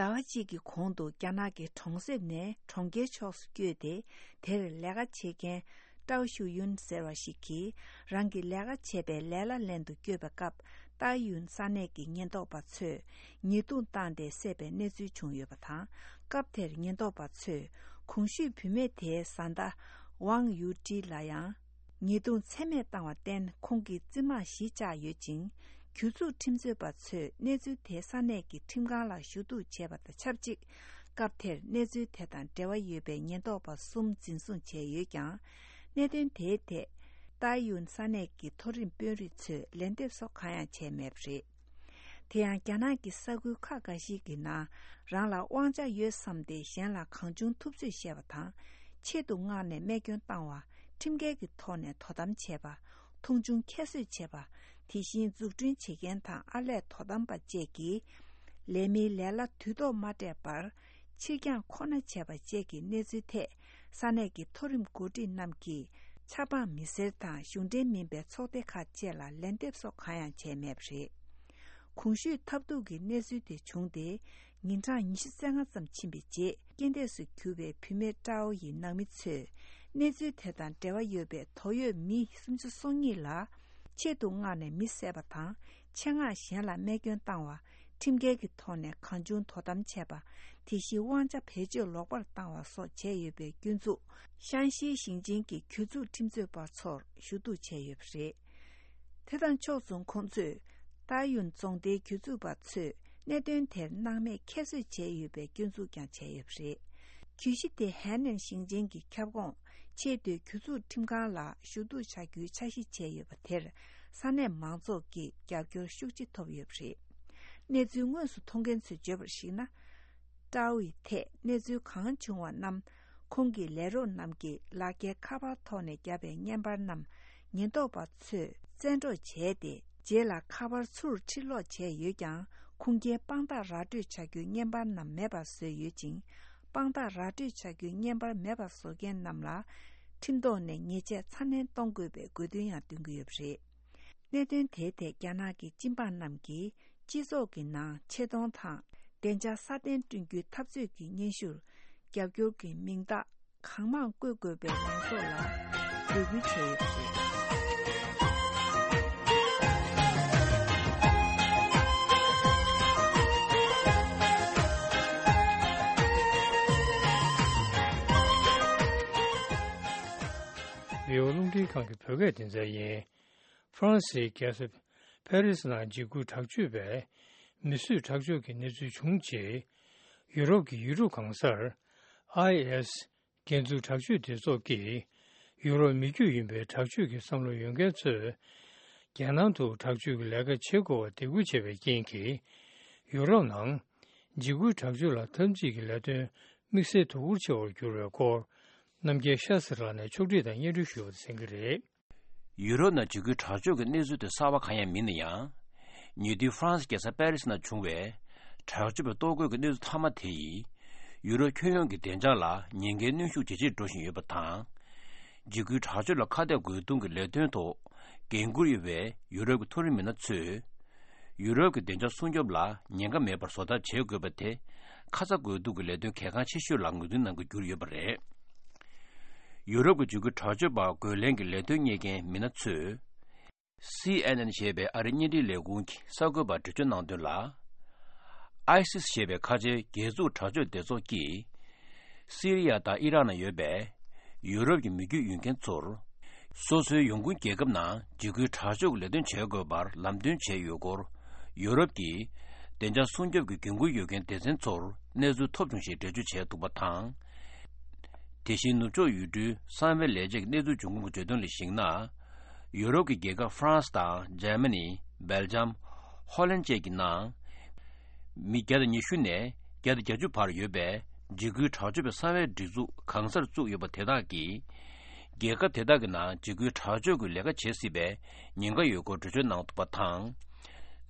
ཟླ་བ་གཅིག་གི་གོང་དུ་རྒྱ་ནག་གི་གྲོང་གསེབ་ནས་གྲོང་ཁྱེར་ཕྱོགས་སུ་བསྐྱོད་དེ། དེར་ལས་ཀ་བྱེད་མཁན་ཀྲའོ་ཞུ་ཡུན་ཟེར་བ་ཞིག་གིས། རང་གི་ལས་ཀ་བྱེད་པའི་ལས་གླ་ལེན་དུ་བསྐྱོད་པའི་སྐབས། ཏཱ་ཡུན་ས་གནས་ཀྱི་ཉེན་རྟོག་པ་ཚོས་ཉེས་རྡུང་བཏང་སྟེ་བསད་པའི་གནས་ཚུལ་བྱུང་ཡོད་པ་དང་། སྐབས་དེར་ཉེན་རྟོག་པ་ཚོས་གོང་ཞུས་བུད་མེད་དེའི་བཟའ་ཟླ་ཝང་ཡུ་ཀྲི་ལ་ཡང་ཉེས་རྡུང་ཚད་མེད་བཏང་བར་བརྟེན། ཁོང་གི་རྩིབ་མར་གཞིས་ཆགས་ཡོད་ཅིང་། གྱོད་འཛུགས་ཁྲིམས་རྩོད་པ་ཚོས་གནས་ཚུལ་དེ་ས་གནས་ཀྱི་ཁྲིམས་ཁང་ལ་ཞུ་གཏུག་བྱས་པ་དང་ཆབས་ཅིག་སྐབས་དེར་གནས་ཚུལ་དེ་དང་འབྲེལ་བ་ཡོད་པའི་ཉེན་རྟོག་པ་གསུམ་འཛིན་བཟུང་བྱས་ཡོད་ཀྱང་། གནད་དོན་དེའི་ཐད་ཏཱ་ཡུན་ས་གནས་ཀྱི་མཐོ་རིམ་དཔོན་རིགས་ཚོས་ལན་འདེབས་སོགས་གང་ཡང་བྱས་མེད་པ་རེད། དེ་ཡང་རྒྱ་ནག་གི་ས་ཁུལ་ཁག་འགའ་ཞིག་གི་ནང་རང་ལ་དབང་ཆ་ཡོད་བསམ་སྟེ་གཞན་ལ་གང་བྱུང་ཐུབ་ཚོད་བཤད་པ་དང་། ཆེད་དུ་མངགས་ནས་རྨས་སྐྱོན་བཏང་བ། ཁྲིམས་འགལ་གྱི་ཐོག་ནས་དོ་དམ་བྱས་པ། མཐོང་ཆུང་ཁྱད་གསོད་བྱས་པ། དེ་བཞིན་འཛུགས་སྐྲུན་བྱེད་མཁན་དང་ཨར་ལས་དོ་དམ་པ་བཅས་ཀྱིས་ལས་མིའི་ལས་གླ་དུས་ཐོག་མ་སྤྲད་པར་ཕྱིར་འགྱངས་ཁོ་ན་བྱས་པ་བཅས་ཀྱི་གནས་ཚུལ་ཐད། ས་གནས་ཀྱི་མཐོ་རིམ་འགོ་ཁྲིད་རྣམས་ཀྱིས་ཆབ་འབངས་མི་སེར་དང་གཞུང་འབྲེལ་མིན་པའི་ཚོགས་སྡེ་ཁག་བཅས་ལ་ལན་འདེབས་སོགས་གང་ཡང་བྱས་མེད་པ་རེད། གོང་ཞུས་ཐབས་སྡུག་གི་གནས་ཚུལ་དེ་བྱུང་སྟེ། ཉིན་གྲངས་ཉི་ཤུ་རྩ་ལྔ་ཙམ་ཕྱིན་པའི་རྗེས། རྐྱེན་འདས་སུ་གྱུར་པའི་བུད་མེད་ཀྲའོ་ཡི་ནང་མི་ཚོས། གནས་ཚུལ་དེ་དང་འབྲེལ་བ་ཡོད་པའི་དོགས་ཡོད་མི་སུམ་ཅུ་སོ་གཉིས་ལ། ཆེད་དུ་མངགས་ནས་མི་བསད་པ་དང་། ཆེད་མངགས་གཞན་ལ་རྨས་སྐྱོན་བཏང་བ། ཁྲིམས་འགལ་གྱི་ཐོག་ནས་གང་བྱུང་དོ་དམ་བྱས་པ། དེ་བཞིན་དབང་ཆ་བེད་སྤྱོད་ལོག་པར་བཏང་བ་སོགས་བྱས་ཡོད་པའི་སྐྱོན་འཛུགས། ཤང་ཤིའི་ཞིང་ཆེན་གྱི་གྱོད་འཛུགས་ཁྲིམས་རྩོད་པ་ཚོར་ཞུ་གཏུག་བྱས་ཡོད་པ་རེད། དེ་དང་ཕྱོགས་མཚུངས། ཁོང་ཚོས་ཏཱ་ཡུན་རྫོང་སྡེའི་གྱོད་འཛུགས་པ་ཚོས་གནད་དོན་དེར་སྣང་མེད་ཁྱད་གསོད་བྱས་ཡོད་པའི་སྐྱོན་འཛུགས་ཀྱང་བྱས་ཡོད་པ་རེད། གྱོད་གཞི་དེ་ཧན་ནན་ཞིང་ཆེན་གྱི་ཁྱབ་ཁོངས་ཆེས་མཐོའི་གྱོད་འཛུགས་ཁྲིམས་ཁང་ལ་ཞུ་གཏུག་བྱ་རྒྱུའི་འཆར་གཞི་བྱས་ཡོད་པ་དེར། ས་གནས་མང་ཚོགས་ཀྱི་རྒྱབ་སྐྱོར་ཤུགས་ཆེ་ཐོབ་ཡོད་པ་རེད། གནས་ཚུལ་དངོས་སུ་མཐོང་མཁན་ཚོས་བརྗོད་པར་གཞིགས་ན། ཀྲའོ་ཡི་ཐད་གནས་ཚུལ་གང་བྱུང་བ་རྣམས། ཁོང་གི་ལས་རོགས་རྣམས་ཀྱིས་ལག་འཁྱེར་ཁ་པར་ཐོག་ནས་བརྒྱབ་པའི་བརྙན་པར་རྣམས་ཉེན་རྟོག་པ་ཚོས་བཙན་འཕྲོག་བྱས་ཏེ། རྗེས་ལ་ཁ་པར་ཚུར་ཕྱིར་སློག་བྱས་ཡོད་ཀྱང་། ཁུངས་སྐྱེལ་དཔང་རྟགས་ར་སྤྲོད་བྱ་རྒྱུའི་བརྙན་པར་རྣམས་མེད་པར་བཟོས་ཡོད་ཅིང་། དཔང་རྟགས་ར་སྤྲོད་བྱ་རྒྱུའི་བརྙན་པར་མེད་པར་བཟོ་མཁན་རྣམས་ལ། ཁྲིམས་ཐོག་ནས་ཉེས་ཆད་ཚ་ནན་གཏོང་དགོས་པའི་དགོས་འདུན་ཡང་འདོན་གྱི་ཡོད་པ་རེད། གནད་དོན་དེའི་ཐད་རྒྱ་ནག་གི་སྤྱི་འབངས་རྣམས་ཀྱིས་སྤྱི་ཚོགས་ཀྱི་ནང་ཆེ་མཐོང་དང་བདེ་འཇགས་སྲ་བརྟན་བསྐྲུན་རྒྱུའི་འཐབ་རྩོད་ཀྱི་སྙན་ཞུར་རྒྱབ་སྐྱོར་གྱི་མིང་རྟགས་གང་མང་བཀོད་དགོས་པའི་ལངས་ཕྱོགས་ལ་འབོད་སྐུལ་བྱས་ཡོད་པ་རེད། ཝི་ཨོ་རླུང་འཕྲིན་ཁང་གི་བོད་སྐད་སྡེ་ཚན་ཡིན། ཧྥ་རན་སིའི་རྒྱལ་ས་ཕ་རི་སི་ནང་འཇིགས་སྐུལ་དྲག་སྤྱོད་པས་མི་གསོད་ཁྲག་སྦྱོར་གྱི་གནས་ཚུལ་བྱུང་རྗེས། ཡུ་རོབ་ཀྱི་ཡུལ་གྲུ་གང་སར་ཨའི་ཨེ་སི་འགོ་འཛུགས་དྲག་སྤྱོད་སྡེ་ཚོགས་ཀྱིས། ཡུ་རོབ་མི་རྒྱུད་ཡིན་པའི་དྲག་སྤྱོད་ཀྱི་བསམ་བློ་ཡོད་མཁན་ཚོས། རྒྱལ་ནང་དུ་དྲག་སྤྱོད་ཀྱི་ལས་ཀ་བྱེད་དགོས་པར་འདེད་སྐུལ་བྱས་པའི་རྐྱེན་གྱིས། ཡུ་རོབ་ནང་འཇིགས་སྐུལ་དྲག་སྤྱོད་ལ་འཐབ་འཛིང་གི་ལས་དོན་དམིགས་བསལ་དོ་ཁུར་ཆེ་བར་གྱུར་བའི་སྐོར། རྣམ་རྒྱལ་ཤ་སི་ར་ནས་ཕྱོགས་སྒྲིག་དང་སྙན་སྒྲོན་ཞུ་བ་གསན་གྱི་རེད། ཡུ་རོབ་ནང་འཇིགས་སྐུལ་དྲག་སྤྱོད་ཀྱི་གནས་ཚུལ་དེ་གསར་བ་གང་ཡང་མིན་ན་ཡང་། ཉེ་དུས་ཧྥ་རན་སི་རྒྱལ་ས་པེ་རི་སི་ནང་བྱུང་བའི་དྲག་སྤྱོད་པའི་ལྟོ་གོས་ཀྱི་གནས་ཚུལ་མཐའ་མ་དེ་ཡིས། ཡུ་རོབ་ཁྱོན་ཡོངས་ཀྱི་བདེ་འཇགས་ལ་ཉེན་ཁའི་གནོན་ཤུགས་ཇེ་ཆེར་འགྲོ་བཞིན་ཡོད་པ་དང་། འཇིགས་སྐུལ་དྲག་སྤྱོད་ལ་ཁ་གཏད་དགོས་གཏུགས་ཀྱི་ལས་དོན་ཐོག་འགན་འཁུར་ཡོད་པའི་ཡུ་རོབ་ཀྱི་མཐོ་རིམ་མི་སྣ་ཚོས། ཡུ་རོབ་ཀྱི་བདེ་འཇགས་སྲུང་སྐྱོབ་ལ་ཉེན་ཁ་མེད་པར་བཟོ་ཐབས་བྱེད་དགོས་པ་དེ། ཁ་ཚ་དགོས་གཏུགས་ཀྱི་ལས་དོན་གལ་འགངས་ཆེ་ཤོས་ལ་ངོས་འཛིན་གནང་དགོས་གྱུར་ཡོད་པ་རེད། ཡུ་རོབ་ཀྱི་འཇིགས་སྐུལ་དྲག་སྤྱོད་པར་རྒོལ་ལན་གྱི་ལས་དོན་གཉེར་མཁན་མི་སྣ་ཚོས། སི་ཨེན་ཨེན་ཞེས་པའི་ཨ་རིའི་བརྙན་འཕྲིན་ལས་ཁུངས་ཀྱི་གསར་འགོད་པར་འགྲེལ་བརྗོད་གནང་དོན་ལ། ཨའི་སིས་ཞེས་པའི་ཁ་ཆེའི་རྒྱལ་འཛུགས་དྲག་སྤྱོད་སྡེ་ཚོགས་ཀྱིས། སི་རི་ཡ་དང་ཨི་རག་ནང་ཡོད་པའི་ཡུ་རོབ་ཀྱི་མི་རྒྱུད་ཡོད་མཁན་ཚོར། སོ་སོའི་ཡོང་ཁུངས་རྒྱལ་ཁབ་ནང་འཇིགས་སྐུལ་དྲག་སྤྱོད་ཀྱི་ལས་དོན་བྱེད་དགོས་པར་ལམ་སྟོན་བྱས་ཡོད་སྐོར། ཡུ་རོབ་ཀྱི་ བདེ་འཇགས་སྲུང་སྐྱོབ་ཀྱི་འགན་འཁུར་ཡོད་མཁན་སྡེ་ཚན་ཚོར་གནས་ཚུལ་ཐོབ་བྱུང་ཞེས་འགྲེལ་བརྗོད་བྱས་འདུག་པ་དང་། དེ་བཞིན་ནུབ་ཕྱོགས་ཡུལ་གྲུའི་གསང་བའི་ལས་བྱེད་ཀྱི་གནས་ཚུལ་འབྱུང་ཁུངས་ཀྱིས་བརྗོད་དོན་ལ་གཞིགས་ན། ཡུ་རོབ་ཀྱི་རྒྱལ་ཁབ་ཧྥ་རན་སི་དང་འཇར་མ་ནི། སྦེལ་ཇམ། ཧོ་ལན་བཅས་ཀྱི་ནང་མི་བརྒྱ་དང་ཉི་ཤུ་ནས་བརྒྱ་དང་བརྒྱད་ཅུ་བར་ཡོད་པའི་འཇིགས་སྐུལ་དྲག་སྤྱོད་པའི་གསང་བའི་སྒྲིག་འཛུགས་གང་སར་བཙུགས་ཡོད་པ་དེ་དག་གིས། རྒྱལ་ཁབ་དེ་དག་གི་ནང་འཇིགས་སྐུལ་དྲག་སྤྱོད་ཀྱི་ལས་ཀ་བྱེད་སྲིད་པའི་ཉེན་ཁ་ཡོད་སྐོར་འགྲེལ་བརྗོད་གནང་འདུག་པ་དང་།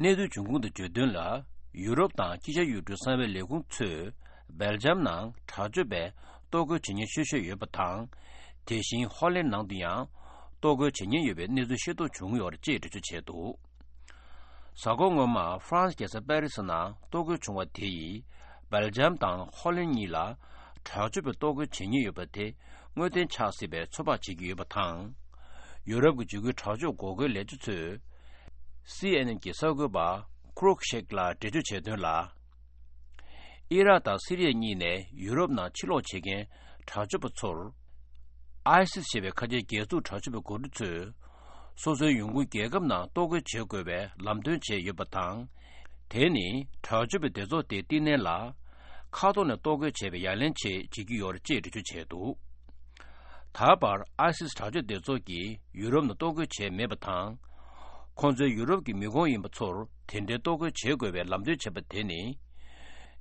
གནས་ཚུལ་འབྱུང་ཁུངས་དང་བརྗོད་དོན་ལ། ཡུ་རོབ་དང་དཀྱིལ་ཤར་ཡུལ་གྲུའི་གསང་བའི་ལས་ཁུངས་ཚོས་སྦེལ་ཇམ་ནང་དྲག་སྤྱོད་པས་གཏོར་རྒོལ་བྱེད་ཉེན་ཤོས་ཤོས་ཡོད་པ་དང་། དེ་བཞིན་ཧོ་ལན་ནང་དུ་ཡང་གཏོར་རྒོལ་བྱེད་ཉེན་ཡོད་པའི་གནས་ཚུལ་ཤེས་རྟོགས་བྱུང་ཡོད་རེད་ཅེས་འགྲེལ་བརྗོད་བྱས་འདུག་གཟའ་འཁོར་སྔོན་མ་ཧྥ་རན་སི་རྒྱལ་ས་པེ་རི་སི་ནང་གཏོར་རྒོལ་བྱུང་བ་དེ་ཡིས་སྦེལ་ཇམ་དང་ཧོ་ལན་གཉིས་ལ་དྲག་སྤྱོད་པའི་གཏོར་རྒོལ་བྱེད་ཉེན་ཡོད་པ་དེ་དངོས་བདེན་ཆགས་སྲིད་པའི་ཚོད་དཔག་བྱེད་ཀྱི་ཡོད་པ་དང་། ཡུ་རོབ་ཀྱི་འཇིགས་སྐུལ་དྲག་སྤྱོད་འགོག་རྒོལ་ལས་བྱེད་ཚོས་སི་ཨེན་ཨེན་གྱི་གསར་འགོད་པ་ཁུ་རུག་ཤེག་ལ་འགྲེལ་བརྗོད་བྱས་དོན་ལ། ཨི་རག་དང་སི་རི་ཡ་གཉིས་ནས་ཡུ་རོབ་ནང་ཕྱིར་ལོག་བྱེད་མཁན་དྲག་སྤྱོད་པ་ཚོར། ཨའི་སིས་ཞེས་པའི་ཁ་ཆེའི་སྒེར་ཚུགས་དྲག་སྤྱོད་པའི་འགོ་ཁྲིད་ཚོས། སོ་སོའི་ཡོང་ཁུངས་རྒྱལ་ཁབ་ནང་གཏོར་རྒོལ་བྱེད་དགོས་པའི་ལམ་སྟོན་བྱས་ཡོད་པ་དང་། དེ་ནི་དྲག་སྤྱོད་པའི་སྡེ་ཚོགས་དེའི་བསྟི་གནས་ལ། མཁའ་ཐོག་ནས་གཏོར་རྒོལ་བྱས་པའི་ཡ་ལན་ཆེད་བྱེད་ཀྱི་ཡོད་རེད་ཅེས་འགྲེལ་བརྗོད་བྱས་འདུག་ད་བར་ཨའི་སིས་དྲག་སྤྱོད་སྡེ་ཚོགས་ཀྱིས་ཡུ་རོབ་ནང་གཏོར་རྒོལ་བྱས་མེད་པ་དང་། ཁོང་ཚོས་ཡུ་རོབ་ཀྱི་མི་ཁོངས་ཡིན་པ་ཚོར་དེ་འདྲའི་གཏོར་རྒོལ་བྱེད་དགོས་པའི་ལམ་སྟོན་བྱས་པ་དེ་ནི།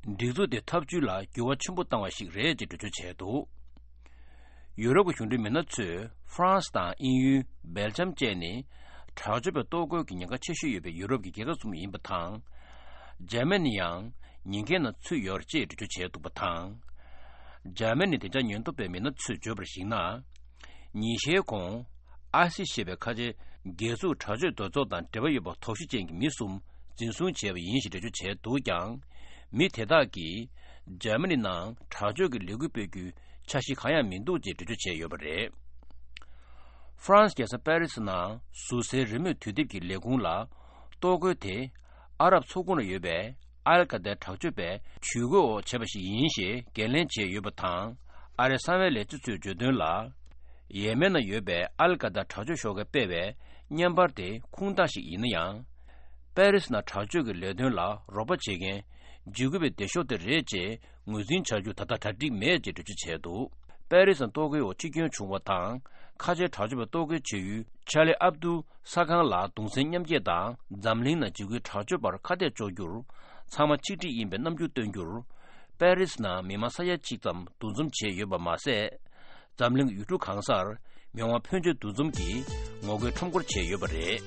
སྒྲིག་འཛུགས་དེ་ཐབས་ཇུས་ལ་འགྱུར་བ་ཆེན་པོ་བཏང་བ་ཞིག་རེད་ཅེས་འགྲེལ་བརྗོད་བྱས་འདུག་ཡུ་རོབ་ཀྱི་གཞུང་འབྲེལ་མི་སྣ་ཚོས་ཧྥ་རན་སི་དང་དབྱིན་ཡུལ། སྦེལ་ཇམ་བཅས་ནི་དྲག་སྤྱོད་པའི་གཏོར་རྒོལ་གྱི་ཉེན་ཁ་ཆེ་ཤོས་ཡོད་པའི་ཡུ་རོབ་ཀྱི་རྒྱལ་ཁབ་གསུམ་ཡིན་པ་དང་། འཇར་མ་ནི་ཡང་ཉེན་ཁའི་ནང་ཚུད་ཡོད་རེད་ཅེས་འགྲེལ་བརྗོད་བྱས་འདུག་པ་དང་། འཇར་མ་ནི་བདེ་འཇགས་ཉེན་རྟོག་པའི་མི་སྣ་ཚོས་བརྗོད་པར་གཞིགས་ན། ཉིན་ཤས་གོང་། ཨའི་སི་ཞེས་པའི་ཁ་ཆེ་སྒེར་ཚུགས་དྲག་སྤྱོད་སྡེ་ཚོགས་དང་འབྲེལ་བ་ཡོད་པ་དོགས་གཞི་ཅན་གྱི་མི་གསུམ་འཛིན་བཟུང་བྱས་པ་ཡིན་ཞེས་འགྲེལ་བརྗོད་བྱས་འདུག་ཀྱང་། མི་དེ་དག་གིས་འཇར་མ་ནི་ནང་དྲག་སྤྱོད་ཀྱི་ལས་འགུལ་སྤེལ་རྒྱུའི་འཆར་གཞི་གང་ཡང་མི་འདུག་ཅེས་འགྲེལ་བརྗོད་བྱས་ཡོད་པ་རེད། ཧྥ་རན་སི་རྒྱལ་ས་པེ་རི་སི་ནང་ཟུར་སའི་རེས་མོས་དུས་དེབ་ཀྱི་ལས་ཁུངས་ལ། གཏོར་རྒོལ་དེ་ཨ་རབ་མཚོ་ཁུག་ན་ཡོད་པའི་ཨལ་ཀ་ཏའི་དྲག་སྤྱོད་པས་ཇུས་འགོད་འོག་བྱས་པ་ཞིག་ཡིན་ཞེས་འགན་ལེན་བྱས་ཡོད་པ་དང་། ཨ་རིའི་གསང་བའི་ལས་བྱེད་ཚོས་བརྗོད་དོན་ལ། ཡེ་མེན་ན་ཡོད་པའི་ཨལ་ཀ་ཏཱ་དྲག་སྤྱོད་ཤོག་ཁགས་སྤེལ་བའི་བརྙན་པར་དེ་ཁུངས་དག་ཞིག་ཡིན་ན་ཡང་། པེ་རི་སི་ནང་དྲག་སྤྱོད་ཀྱི་ལས་དོན་ལ་རོགས་པ་བྱེད་མཁན་འཇིགས་སྐུལ་བའི་སྡེ་ཤོག་དེ་རེད་ཅེས་ངོས་འཛིན་བྱ་རྒྱུ་ད་ལྟ་གྲ་སྒྲིག་མེད་ཅེས་འགྲེལ་བརྗོད་བྱས་འདུག་པེ་རི་སི་ནང་གཏོར་རྒོལ་འོག་འཆི་སྐྱོན་བྱུང་བ་དང་ཁ་ཆེའི་དྲག་སྤྱོད་པ་གཏོར་རྒོལ་བྱེད་ཡུལ་ཆར་ལི་ཨབ་དུ་ས་ཁང་ལ་གདུང་སེམས་མཉམ་སྐྱེད་དང་འཛམ་གླིང་ནང་འཇིགས་སྐུལ་དྲག་སྤྱོད་པར་ཁ་གཏད་གཅོག་རྒྱུར་ཚང་མ་ཆིག་སྒྲིལ་ཡིན་པའི་རྣམ་འགྱུར་སྟོན་རྒྱུར། པེ་རི་སི་ནང་མི་མང་ས་ཡ་གཅིག་ཙམ་འདུ་འཛོམས་བྱས་ཡོད་པ་མ་ཟད། འཛམ་གླིང་ཡུལ་གྲུ་གང་སར་མི་མང་ཕོན་ཆེ་འདུ་འཛོམས་ཀྱིས་ངོ་རྒོལ་ཁྲོམ་སྐོར་བྱས་ཡོད་པ་རེད།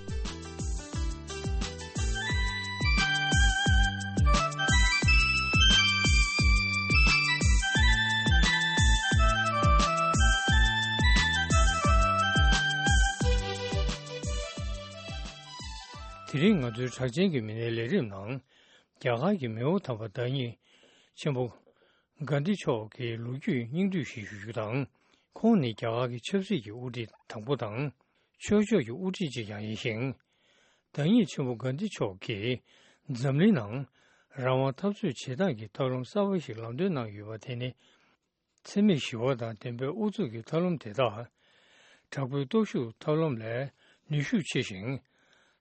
དེ་རིང་ང་ཚོའི་གྲགས་ཅན་གྱི་མི་སྣའི་ལས་རིམ་ནང་། རྒྱ་གར་གྱི་མེའོ་དམ་པ་བདག་ཉིད་ཆེན་པོ་གྷན་དྷི་མཆོག་གི་ལོ་རྒྱུས་སྙིང་བསྡུས་ཤིག་ཞུ་རྒྱུ་དང་། ཁོང་ནི་རྒྱ་གར་གྱི་ཆབ་སྲིད་ཀྱི་དབུ་ཁྲིད་དང་པོ་དང་། ཆོས་ཕྱོགས་ཀྱི་དབུ་ཁྲིད་ཅིག་ཀྱང་ཡིན་ཞིང་། བདག་ཉིད་ཆེན་པོ་གྷན་དྷི་མཆོག་གིས་འཛམ་གླིང་ནང་རང་དབང་འཐབ་རྩོད་བྱེད་སྟངས་ཀྱི་ཐབས་ལམ་གསར་པ་ཞིག་ལམ་སྟོན་གནང་ཡོད་པ་དེ་ནི། འཚེ་མེད་ཞི་བ་དང་བདེན་པའི་ཨུ་ཚུགས་ཀྱི་ཐབས་ལམ་དེ་དག་དྲག་པོའི་སྟོབས་ཤུགས་ཐབས་ལམ་ལས་ནུས་ཤུགས་ཆེ་ཞིང་།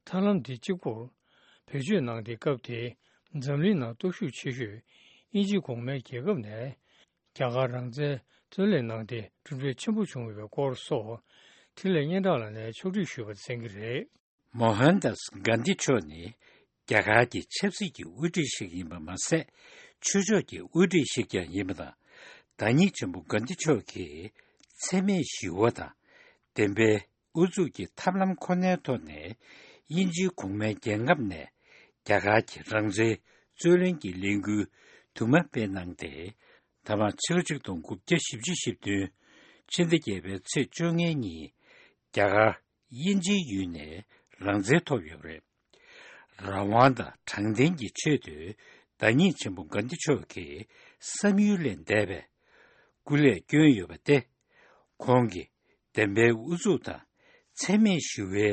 ཐབས་ལམ་འདི་གཅིག་པུར་བེད་སྤྱོད་གནང་སྟེ། སྐབས་དེའི་འཛམ་གླིང་ནང་སྟོབས་ཤུགས་ཆེ་ཤོས་དབྱིན་ཇི་གོང་མའི་རྒྱལ་ཁབ་ནས་རྒྱ་གར་རང་བཙན་རྩོད་ལེན་གནང་སྟེ་གྲུབ་འབྲས་ཆེན་པོ་བྱུང་ཡོད་པའི་སྐོར་སོགས་འཕྲིན་ལས་སྙན་གྲགས་ལགས་ནས་ཕྱོགས་སྒྲིག་ཞུས་པ་གསན་གྱི་རེད། མོ་ཧན་དཱས་གྷན་དྷི་མཆོག་ནི་རྒྱ་གར་གྱི་ཆབ་སྲིད་ཀྱི་དབུ་ཁྲིད་ཞིག་ཡིན་པ་མ་ཟད། ཆོས་ཕྱོགས་ཀྱི་དབུ་ཁྲིད་ཞིག་ཀྱང་ཡིན་པ་དང་། བདག་ཉིད་ཆེན་པོ་གྷན་དྷི་མཆོག་གིས་འཚེ་མེད་ཞི་བ་དང་བདེན་པའི་ཨུ་ཚུགས་ཀྱི་ཐབས་ལམ་ཁོ་ནའི་ཐོག་ནས་དབྱིན་ཇིའི་གོང་མའི་རྒྱལ་ཁབ་ནས་རྒྱ་གར་གྱི་རང་བཙན་རྩོད་ལེན་གྱི་ལས་འགུལ་དུ་མ་སྤེལ་གནང་སྟེ། ད་མ་ཕྱི་ལོ་ཆིག་སྟོང་དགུ་བརྒྱ་བཞི་བཅུ་ཞེ་བདུན་ཕྱི་ཟླ་བརྒྱད་པའི་ཚེས་བཅོ་ལྔའི་ཉིན་རྒྱ་གར་དབྱིན་ཇིའི་ཡུལ་ནས་རང་བཙན་ཐོབ་ཡོད་པ་རེད། རང་དབང་དང་དྲང་བདེན་གྱི་ཆེད་དུ་བདག་ཉིད་ཆེན་པོ་གྷན་དྷི་མཆོག་གིས་བསམ་ཡུལ་ལས་འདས་པའི་སྐུ་ལས་བསྐྱོན་ཡོད་པ་སྟེ། ཁོང་གིས་བདེན་པའི་ཨུ་ཚུགས་དང་འཚེ་མེད་ཞི་བའི་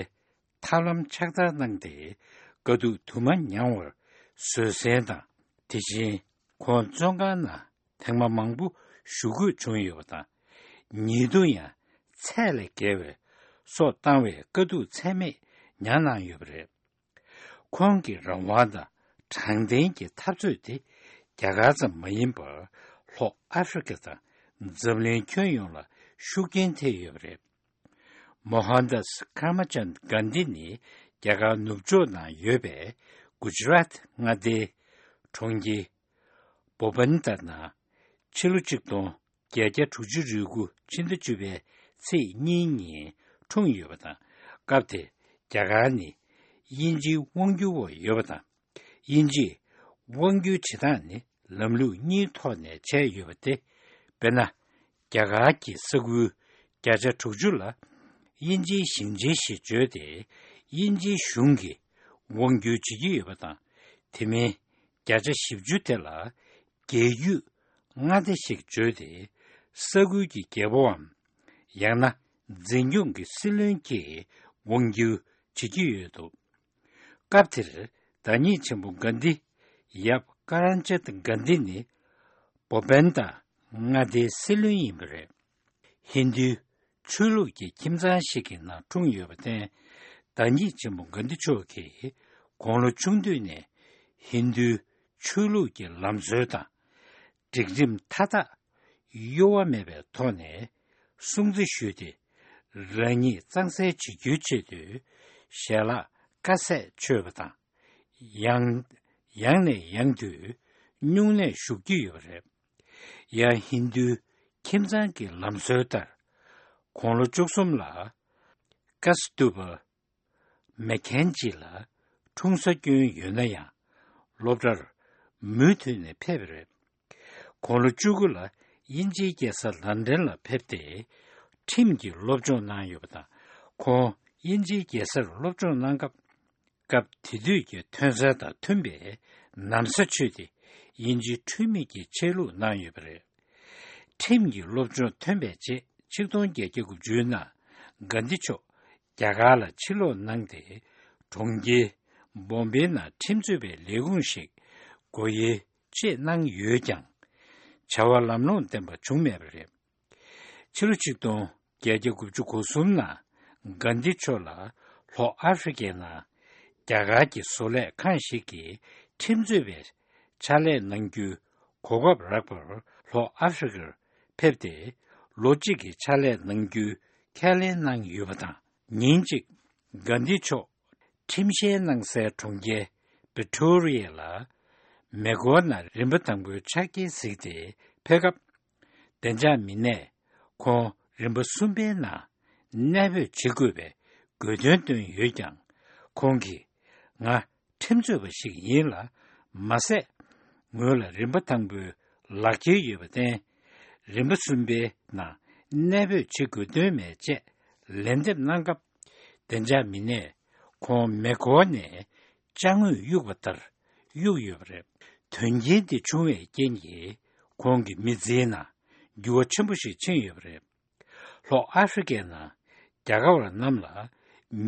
ཐབས་ལམ་ཕྱག་བསྟར་གནང་སྟེ། དཀའ་སྡུག་དུ་མ་མྱངས་པར་བཟོད་བསྲན་དང་། དེ་བཞིན་ཁོང་བཙོན་ཁང་ནང་ཐེངས་མ་མང་པོ་བཞུགས་དགོས་བྱུང་ཡོད་པ་དང་། ཉེ་དུ་ཡང་ཚད་ལས་བརྒལ་བའི་སྲོག་བཏང་བའི་དཀའ་སྡུག་ཚད་མེད་མྱངས་གནང་ཡོད་པ་རེད། ཁོང་གི་རང་དབང་དང་ དྲང་བདེན་གྱི་འཐབ་རྩོད་དེ་རྒྱ་གར་ཙམ་མ་ཡིན་པར་ལྷོ་ཨ་ཧྥེ་རི་ཁ་དང་འཛམ་གླིང་ཁྱོན་ཡོངས་ལ་ཤུགས་རྐྱེན་ཐེབས་ཡོད་པ་རེད། མོ་ཧན་དཱས་ཀརྨ་ཅན་གྷན་དྷི་ནི་རྒྱ་གར་ནུབ་ཕྱོགས་ནང་ཡོད་པའི་གུ་ཇི་རཱཏ་མངའ་སྡེའི་གྲོང་ཁྱེར་པོ་པན་ད་ནང་ཕྱི་ལོ་གཅིག་སྟོང་བརྒྱད་བརྒྱ་དྲུག་ཅུ་རེ་དགུ་ཕྱི་ཟླ་བཅུ་པའི་ཚེས་གཉིས་ཉིན་འཁྲུངས་ཡོད་པ་དང་། སྐབས་དེར་རྒྱ་གར་ནི་དབྱིན་ཇིའི་དབང་སྒྱུར་འོག་ཡོད་པ་དང་། དབྱིན་ཇིས་དབང་སྒྱུར་བྱེད་སྟངས་ནི་ལམ་ལུགས་གཉིས་ཐོག་ནས་བྱས་ཡོད་པ་སྟེ། དཔེར་ན། རྒྱ་གར་གྱི་ས་ཁུལ་བརྒྱ་ཆ་དྲུག་ཅུ་ལ་དབྱིན་ཇིའི་ཞིང་ཆེན་ཞེས་བརྗོད་དེ། དབྱིན་ཇིའི་གཞུང་གིས་དབང་སྒྱུར་བྱེད་ཀྱི་ཡོད་པ་དང་། དེ་མིན་བརྒྱ་ཆ་བཞི་བཅུ་དེ་ལ་རྒྱལ་རྒྱུད་མངའ་སྡེ་ཞེས་བརྗོད་དེ། ས་ཁུལ་གྱི་རྒྱལ་པོའམ། ཡང་ན་འཛིན་སྐྱོང་གི་སྲིད་བློན་གྱིས་དབང་སྒྱུར་བྱེད་ཀྱི་ཡོད་འདུག་སྐབས་དེར་བདག་ཉིད་ཆེན་པོ་གྷན་དྷི་ཡབ་ཀརྨ་ཅན་གྷན་དྷི་ནི་པོ་པན་ད་མངའ་སྡེའི་སྲིད་བློན་ཡིན་པ་རེད། ཧིན་རྡུའི་ཆོས་ལུགས་ཀྱི་ཁྱིམ་ཚང་ཞིག་གི་ནང་འཁྲུངས་ཡོད་པར་བརྟེན། བདག་ཉིད་ཆེན་པོ་གྷན་དྷི་མཆོག་གིས་དགུང་ལོ་ཆུང་དུས་ནས་ཧིན་རྡུའི་ཆོས་ལུགས་ཀྱི་ལམ་སྲོལ་དང་། སྒྲིག་ཁྲིམས་མཐའ་དག་གཡོ་བ་མེད་པའི་ཐོག་ནས་སྲུང་བརྩི་ཞུས་ཏེ། རང་ཉིད་གཙང་སེལ་བྱེད་རྒྱུའི་ཆེད་དུ་ཞལ་ལག་དཀའ་ཚེགས་ཆོད་པ་དང་། ཡང་ཡང་ནས་ཡང་དུ་སྨྱུང་གནས་བཞུགས་ཀྱི་ཡོད་པ་རེད། ཡང་ཧིན་རྡུའི་ཁྱིམ་ཚང་གི་ལམ་སྲོལ་ལྟར། དགུང་ལོ་བཅུ་གསུམ་ལ་ཀ་སི་ཏུ་པ་མེ་ཁན་ཇི་ལ་འཁྲུངས་ས་སྐྱོན་ཡོད་ན་ཡང་། སློབ་གྲྭར་མུ་མཐུད་ནས་ཕེབས་པ་རེད། དགུང་ལོ་བཅུ་དགུ་ལ་དབྱིན་ཇིའི་རྒྱལ་ས་ལན་ཌན་ལ་ཕེབས་ཏེ། ཁྲིམས་ཀྱི་སློབ་སྦྱོང་གནང་ཡོད་པ་དང་། ཁོང་དབྱིན་ཇིའི་རྒྱལ་སར་སློབ་སྦྱོང་གནང་སྐབས། སྐབས་དེ་དུས་ཀྱི་ཐོན་རྫས་དང་མཐུན་པའི་ན་བཟའ་མཆོད་དེ། དབྱིན་ཇིའི་འཁྲུལ་མེད་ཀྱི་ཆས་ལུགས་གནང་ཡོད་པ་རེད། ཁྲིམས་ཀྱི་སློབ་སྦྱོང་ཐོན་པའི་རྗེས། ཆིག་སྟོང་བརྒྱད་བརྒྱ་དགུ་བཅུ་ནང་གྷན་དྷི་མཆོག་རྒྱ་གར་ལ་ཕྱིར་ལོག་གནང་སྟེ། གྲོང་ཁྱེར་བོམ་བེ་ནང་ཁྲིམས་རྩོད་པའི་ལས་ཁུངས་ཤིག་སྒོ་དབྱེ་བཅས་གནང་ཡོད་ཀྱང་། བྱ་བ་ལམ་ལྷོང་ལྡན་པ་བྱུང་མེད་པ་རེད། ཕྱི་ལོ་ཆིག་སྟོང་བརྒྱད་བརྒྱ་དགུ་བཅུ་གོ་གསུམ་ནང་གྷན་དྷི་མཆོག་ལ་ལྷོ་ཨ་ཧྥེ་རི་ཁའི་ནང་རྒྱ་གར་གྱི་བཟོ་ལས་ཁང་ཞིག་གིས་ཁྲིམས་རྩོད་པའི་ཕྱག་ལས་གནང་རྒྱུའི་གོ་སྐབས་རག་པར་ལྷོ་ཨ་ཧྥེ་རི་ཁར་ཕེབས་ཏེ། ལོ་གཅིག་གི་ཕྱག་ལས་གནང་རྒྱུའི་ཁས་ལེན་གནང་ཡོད་པ་དང་། ཉིན་གཅིག་གྷན་དྷི་མཆོག་ཁྲིམས་བཤེར་གནང་སའི་གྲོང་ཁྱེར་བི་ཀྲོ་རི་ཡ་ལ་མེ་འཁོར་ནང་རིམ་པ་དང་པོའི་ཆ་རྐྱེན་གཟིགས་ཏེ་ཕེབས་སྐབས། བདེ་འཇགས་མི་སྣས་ཁོང་རིམ་པ་གསུམ་པའི་ནང་གནས་སྤོས་བྱེད་དགོས་པའི་དགོས་འདུན་བཏོན་ཡོད་ཀྱང་། ཁོང་གིས། ང་ཁྲིམས་རྩོད་པ་ཞིག་ཡིན་ལ། མ་ཟད། ངོས་ལ་རིམ་པ་དང་པོའི་ལག་འཁྱེར་ཡོད་པར་བརྟེན། རིམ་པ་གསུམ་པའི་ནང་གནས་སྤོས་བྱེད་དགོས་དོན་མེད་ཅེས་ལན་འདེབས་གནང་སྐབས། བདེ་འཇགས་མི་སྣས་ཁོང་མེ་འཁོར་ནས་ཅ་དངོས་གཡུགས་པ་ལྟར་གཡུགས་ཡོད་པ་རེད། དོན་རྐྱེན་དེ་བྱུང་བའི་རྐྱེན་གྱིས་ཁོང་གི་མི་ཚེའི་ནང་འགྱུར་བ་ཆེན་པོ་ཞིག་ཕྱིན་ཡོད་པ་རེད། ལྷོ་ཨ་ཧྥེ་རི་ཁའི་ནང་རྒྱ་གར་བ་རྣམས་ལ་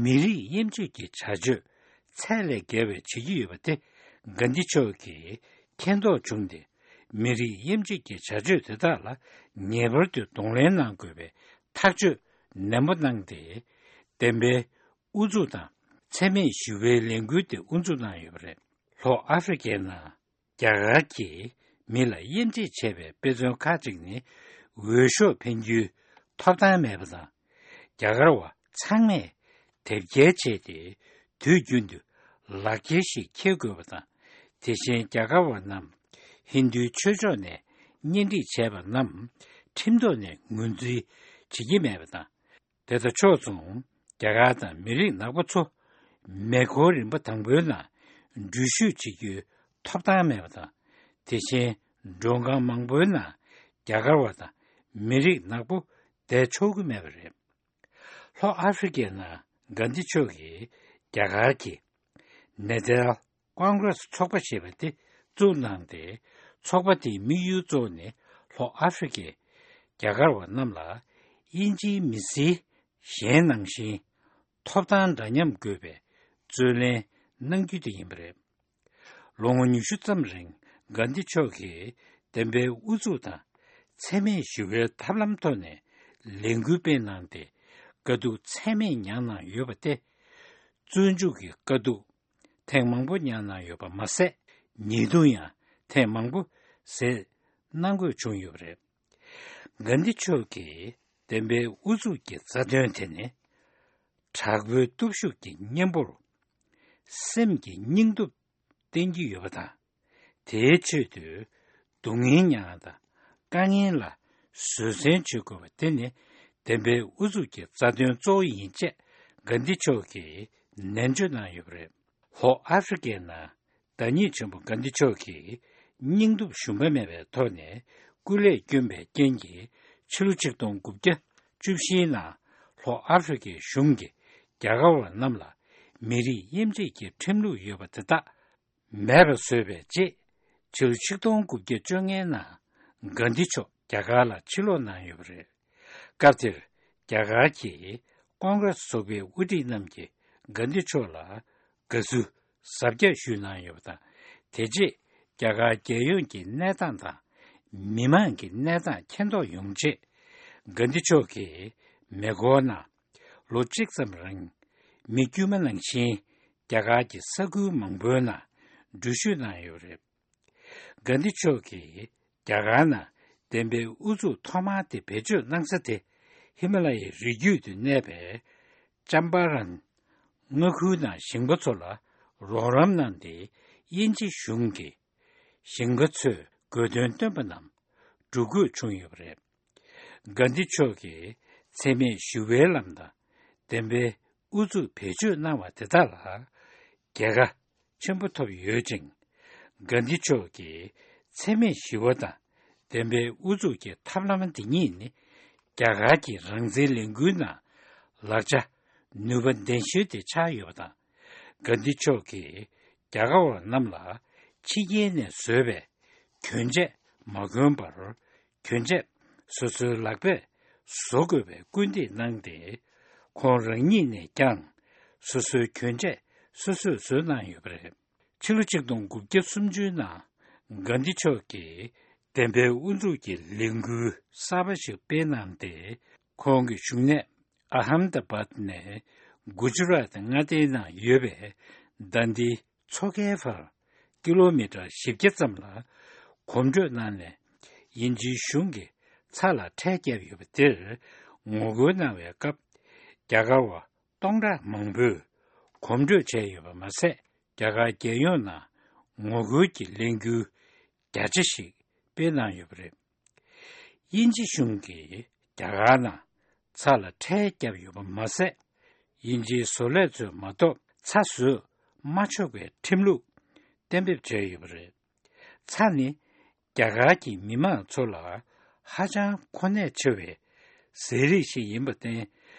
མི་རིགས་དབྱེ་འབྱེད་ཀྱི་བྱ་སྤྱོད་ཚད་ལས་བརྒལ་བའི་བྱེད་ཀྱི་ཡོད་པ་དེ་གྷན་དྷི་མཆོག་གིས་མཁྱེན་རྟོགས་བྱུང་སྟེ། མི་རིགས་དབྱེ་འབྱེད་ཀྱི་བྱ་སྤྱོད་དེ་དག་ལ་ངེས་པར་དུ་གདོང་ལེན་གནང་དགོས་པའི་ཐག་གཅོད་ནན་པོ་གནང་སྟེ། བདེན་པའི་ཨུ་ཚུགས་དང་འཚེ་མེད་ཞི་བའི་ལས་འགུལ་དེ་དབུ་འཛུགས་གནང་ཡོད་པ་རེད། ལྷོ་ཨ་ཧྥེ་རི་ཁའི་ནང་རྒྱ་གར་གྱིས་མི་ལ་དབྱེ་འབྱེད་བྱས་པའི་དཔེ་མཚོན་ཁག་ཅིག་ནི། འོས་ཤོག་འཕེན་རྒྱུའི་ཐོབ་ཐང་མེད་པ་དང་། རྒྱ་གར་བ་ཚང་མས་དེབ་སྐྱེལ་བྱས་ཏེ། དུས་རྒྱུན་དུ་ལག་འཁྱེར་ཞིག་འཁྱེར་དགོས་པ་དང་། དེ་བཞིན་རྒྱ་གར་བ་རྣམས་ཧིན་རྡུའི་ཆོས་ཕྱོགས་ནས་གཉེན་སྒྲིག་བྱས་པ་རྣམས་ཁྲིམས་ཐོག་ནས་ངོས་འཛིན་བྱེད་ཀྱི་མེད་པ་དང་། དེ་དང་ཕྱོགས་མཚུངས། རྒྱ་གར་དང་མི་རིགས་ནག་པོ་ཚོ་མེ་འཁོར་རིམ་པ་དང་པོའི་ནང་འགྲུལ་བཞུད་བྱེད་རྒྱུའི་ཐོབ་ཐང་མེད་པ་དང་། དེ་བཞིན་མགྲོན་ཁང་མང་པོའི་ནང་རྒྱ་གར་བ་དང་མི་རིགས་ནག་པོ་བསྡད་ཆོག་གི་མེད་པ་རེད། ལྷོ་ཨ་ཧྥེ་རི་ཁའི་ནང་གྷན་དྷི་མཆོག་གིས་རྒྱ་གར་གྱི་ནེ་ཛལ་ཀོང་གྷི་རེ་སི་ཚོགས་པ་ཞེས་པ་དེ་བཙུགས་གནང་སྟེ། ཚོགས་པ་དེའི་དམིགས་ཡུལ་གཙོ་བོ་ནི་ལྷོ་ཨ་ཧྥེ་རི་ཁའི་རྒྱ་གར་བ་རྣམས་ལ་དབྱིན་ཇིའི་མི་སེར་གཞན་ནང་བཞིན་ཐོབ་ཐང་འདྲ་མཉམ་དགོས་པའི་རྩོད་ལེན་གནང་རྒྱུ་དེ་ཡིན་པ་རེད། ལོ་ངོ་ཉི་ཤུ་ཙམ་རིང་གྷན་དྷི་མཆོག་གིས་བདེན་པའི་ཨུ་ཚུགས་དང་འཚེ་མེད་ཞི་བའི་ཐབས་ལམ་ཐོག་ནས་ལས་འགུལ་སྤེལ་གནང་སྟེ། དཀའ་སྡུག་ཚད་མེད་མྱངས་གནང་ཡོད་པ་སྟེ། བཙོན་འཇུག་གི་དཀའ་སྡུག་ཐེངས་མང་པོ་མྱངས་གནང་ཡོད་པ་མ་ཟད། ཉེས་རྡུང་ཡང་ཐེངས་མང་པོ་བཟོས་གནང་དགོས་བྱུང་ཡོད་པ་རེད། གྷན་དྷི་མཆོག་གིས་བདེན་པའི་ཨུ་ཚུགས་ཀྱི་རྩ་དོན་དེ་ནི། དྲག་པོའི་སྟོབས་ཤུགས་ཀྱི་གཉེན་པོར། སེམས་ཀྱི་སྙིང་སྟོབས་བསྟན་གྱི་ཡོད་པ་དང་། དེའི་ཆེད་དུ་སྡུག་བསྔལ་མྱངས་དང་དཀའ་ངལ་ལ་བཟོད་བསྲན་བྱེད་དགོས་པ་དེ་ནི་བདེན་པའི་ཨུ་ཚུགས་ཀྱི་རྩ་དོན་གཙོ་བོ་ཡིན་ཅེས་གྷན་དྷི་མཆོག་གིས་ནན་བརྗོད་གནང་ཡོད་པ་རེད། ལྷོ་ཨ་ཧྥི་རི་ཀའི་ནང་བདག་ཉིད་ཆེན་པོ་གྷན་དྷི་མཆོག་གིས་སྙིང་སྟོབས་ཞུམ་པ་མེད་པའི་ཐོག་ནས་སྐུ་ལས་བསྐྱོན་པའི་རྐྱེན་གྱིས་ཕྱི་ལོ་ཆིག་སྟོང་དགུ་བརྒྱ་བཅུ་བཞིའི་ནང་ལྷོ་ཨ་ཧྥི་རི་ཀའི་གཞུང་གིས་རྒྱ་གར་བ་རྣམས་ལ་མི་རིགས་དབྱེ་འབྱེད་ཀྱི་ཁྲིམས་ལུགས་ཡོད་པ་དེ་དག་མེད་པར་བཟོས་པའི་རྗེས། ཕྱི་ལོ་ཆིག་སྟོང་དགུ་བརྒྱ་བཅོ་ལྔའི་ནང་གྷན་དྷི་མཆོག་རྒྱ་གར་ལ་ཕྱིར་ལོག་གནང་ཡོད་པ་རེད། སྐབས་དེར་རྒྱ་གར་གྱི་ཀོང་གྷི་རེ་སི་ཚོགས་པའི་དབུ་ཁྲིད་རྣམས་ཀྱིས་གྷན་དྷི་མཆོག་ལ་དགའ་བསུ་གཟབ་རྒྱས་ཞུས་གནང་ཡོད་པ་དང་། དེ་རྗེས་རྒྱ་གར་རྒྱལ་ཡོངས་ཀྱི་གནས་སྟངས་དང་མི་མང་གི་གནས་སྟངས་མཁྱེན་རྟོགས་ཡོང་ཆེད། གྷན་དྷི་མཆོག་གིས་མེ་འཁོར་ནང་ལོ་གཅིག་ཙམ་རིང་མི་དཀྱུས་མ་ནང་བཞིན་རྒྱ་གར་གྱི་ས་ཁུལ་མང་པོའི་ནང་འགྲུལ་བཞུད་གནང་ཡོད་པ་རེད། གྷན་དྷི་མཆོག་གིས་རྒྱ་གར་ནང་བདེན་པའི་ཨུ་ཚུགས་ཐོག་མ་དེ་བེད་སྤྱོད་གནང་ས་དེ་ཧི་མ་ལ་ཡའི་རི་རྒྱུད་དུ་གནས་པའི་ཅམ་པ་རན་མངའ་ཁུལ་ནང་ཞིང་པ་ཚོ་ལ་རོགས་རམ་གནང་སྟེ། དབྱིན་ཇི་གཞུང་གིས་ཞིང་པ་ཚོས་དགོས་འདུན་བཏོན་པ་རྣམས་སྒྲུབ་དགོས་བྱུང་ཡོད་པ་རེད། གྷན་དྷི་མཆོག་གིས་འཚེ་མེད་ཞི་བའི་ལམ་དང་བདེན་པའི་ཨུ་ཚུགས་བེད་སྤྱོད་གནང་བ་དེ་དག་ལ་རྒྱལ་ཁ་ཆེན་པོ་ཐོབ་ཡོད་ཅིང་། གྷན་དྷི་མཆོག་གིས་འཚེ་མེད་ཞི་བ་དང་བདེན་པའི་ཨུ་ཚུགས་ཀྱི་ཐབས་ལམ་འདི་ཉིད་ནི་རྒྱ་གར་གྱི་རང་བཙན་ལས་འགུལ་ནང་ལག་ཆ་ནུས་པ་ལྡན་ཤོས་དེ་ཆགས་ཡོད་པ་དང་། གྷན་དྷི་མཆོག་གིས་རྒྱ་གར་བ་རྣམས་ལ་ཕྱི་རྒྱལ་ནས་བཟོས་པའི་གྱོན་ཆས་མ་གོན་པར། གྱོན་ཆས་སོ་སོའི་ལག་པས་བཟོ་དགོས་པའི་སྐུལ་འདེད་གནང་སྟེ། ཁོང་རང་ཉིད་ནས་ཀྱང་སོ་སོའི་གྱོན་ཆས་སོ་སོས་བཟོས་གནང་ཡོད་པ་རེད། ཕྱི་ལོ་ཆིག་སྟོང་དགུ་བརྒྱ་སུམ་ཅུའི་ནང་གྷན་དྷི་མཆོག་གིས་བདེན་པའི་དབུ་འཛུགས་ཀྱི་ལས་འགུལ་གསར་པ་ཞིག་སྤེལ་གནང་སྟེ། ཁོང་གི་བཞུགས་གནས་ཨ་ཧམ་དཱ་བཱད་ནས་གུ་ཇུ་རཱཏ་མངའ་སྡེའི་ནང་ཡོད་པའི་དཱན་དིའི་མཚོ་ཁའི་བར་ཀི་ལོ་མི་ཊར་བཞི་བརྒྱ་ཙམ་ལ་གོམ་བགྲོད་གནང་ནས། དབྱིན་ཇིའི་གཞུང་གིས་ཚྭ་ལ་ཁྲལ་བརྒྱབ་ཡོད་པ་དེར་ངོ་རྒོལ་གནང་བའི་སྐབས། རྒྱ་གར་བ་སྟོང་ཕྲག་མང་པོས་གོམ་བགྲོད་བྱས་ཡོད་པ་མ་ཟད། རྒྱ་གར་རྒྱལ་ཡོངས་ནང་ངོ་རྒོལ་གྱི་ལས་འགུལ་བརྒྱ་ཆ་ཞིག་སྤེལ་གནང་ཡོད་པ་རེད། དབྱིན་ཇི་གཞུང་གིས་རྒྱ་གར་ནང་ཚྭ་ལ་ཁྲལ་བརྒྱབ་ཡོད་པ་མ་ཟད། དབྱིན་ཇིའི་བཟོ་ལས་ཚོས་མ་གཏོགས་ཚྭ་བཟོས་མ་ཆོག་པའི་ཁྲིམས་ལུགས་གཏན་འབེབས་བྱས་ཡོད་པ་རེད། ཚྭ་ནི་རྒྱ་གར་གྱི་མི་མང་ཚོ་ལ་ཧ་ཅང་གོ་གནད་ཆེ་བའི་ཟས་རིགས་ཤིག་ཡིན་པར་བརྟེན།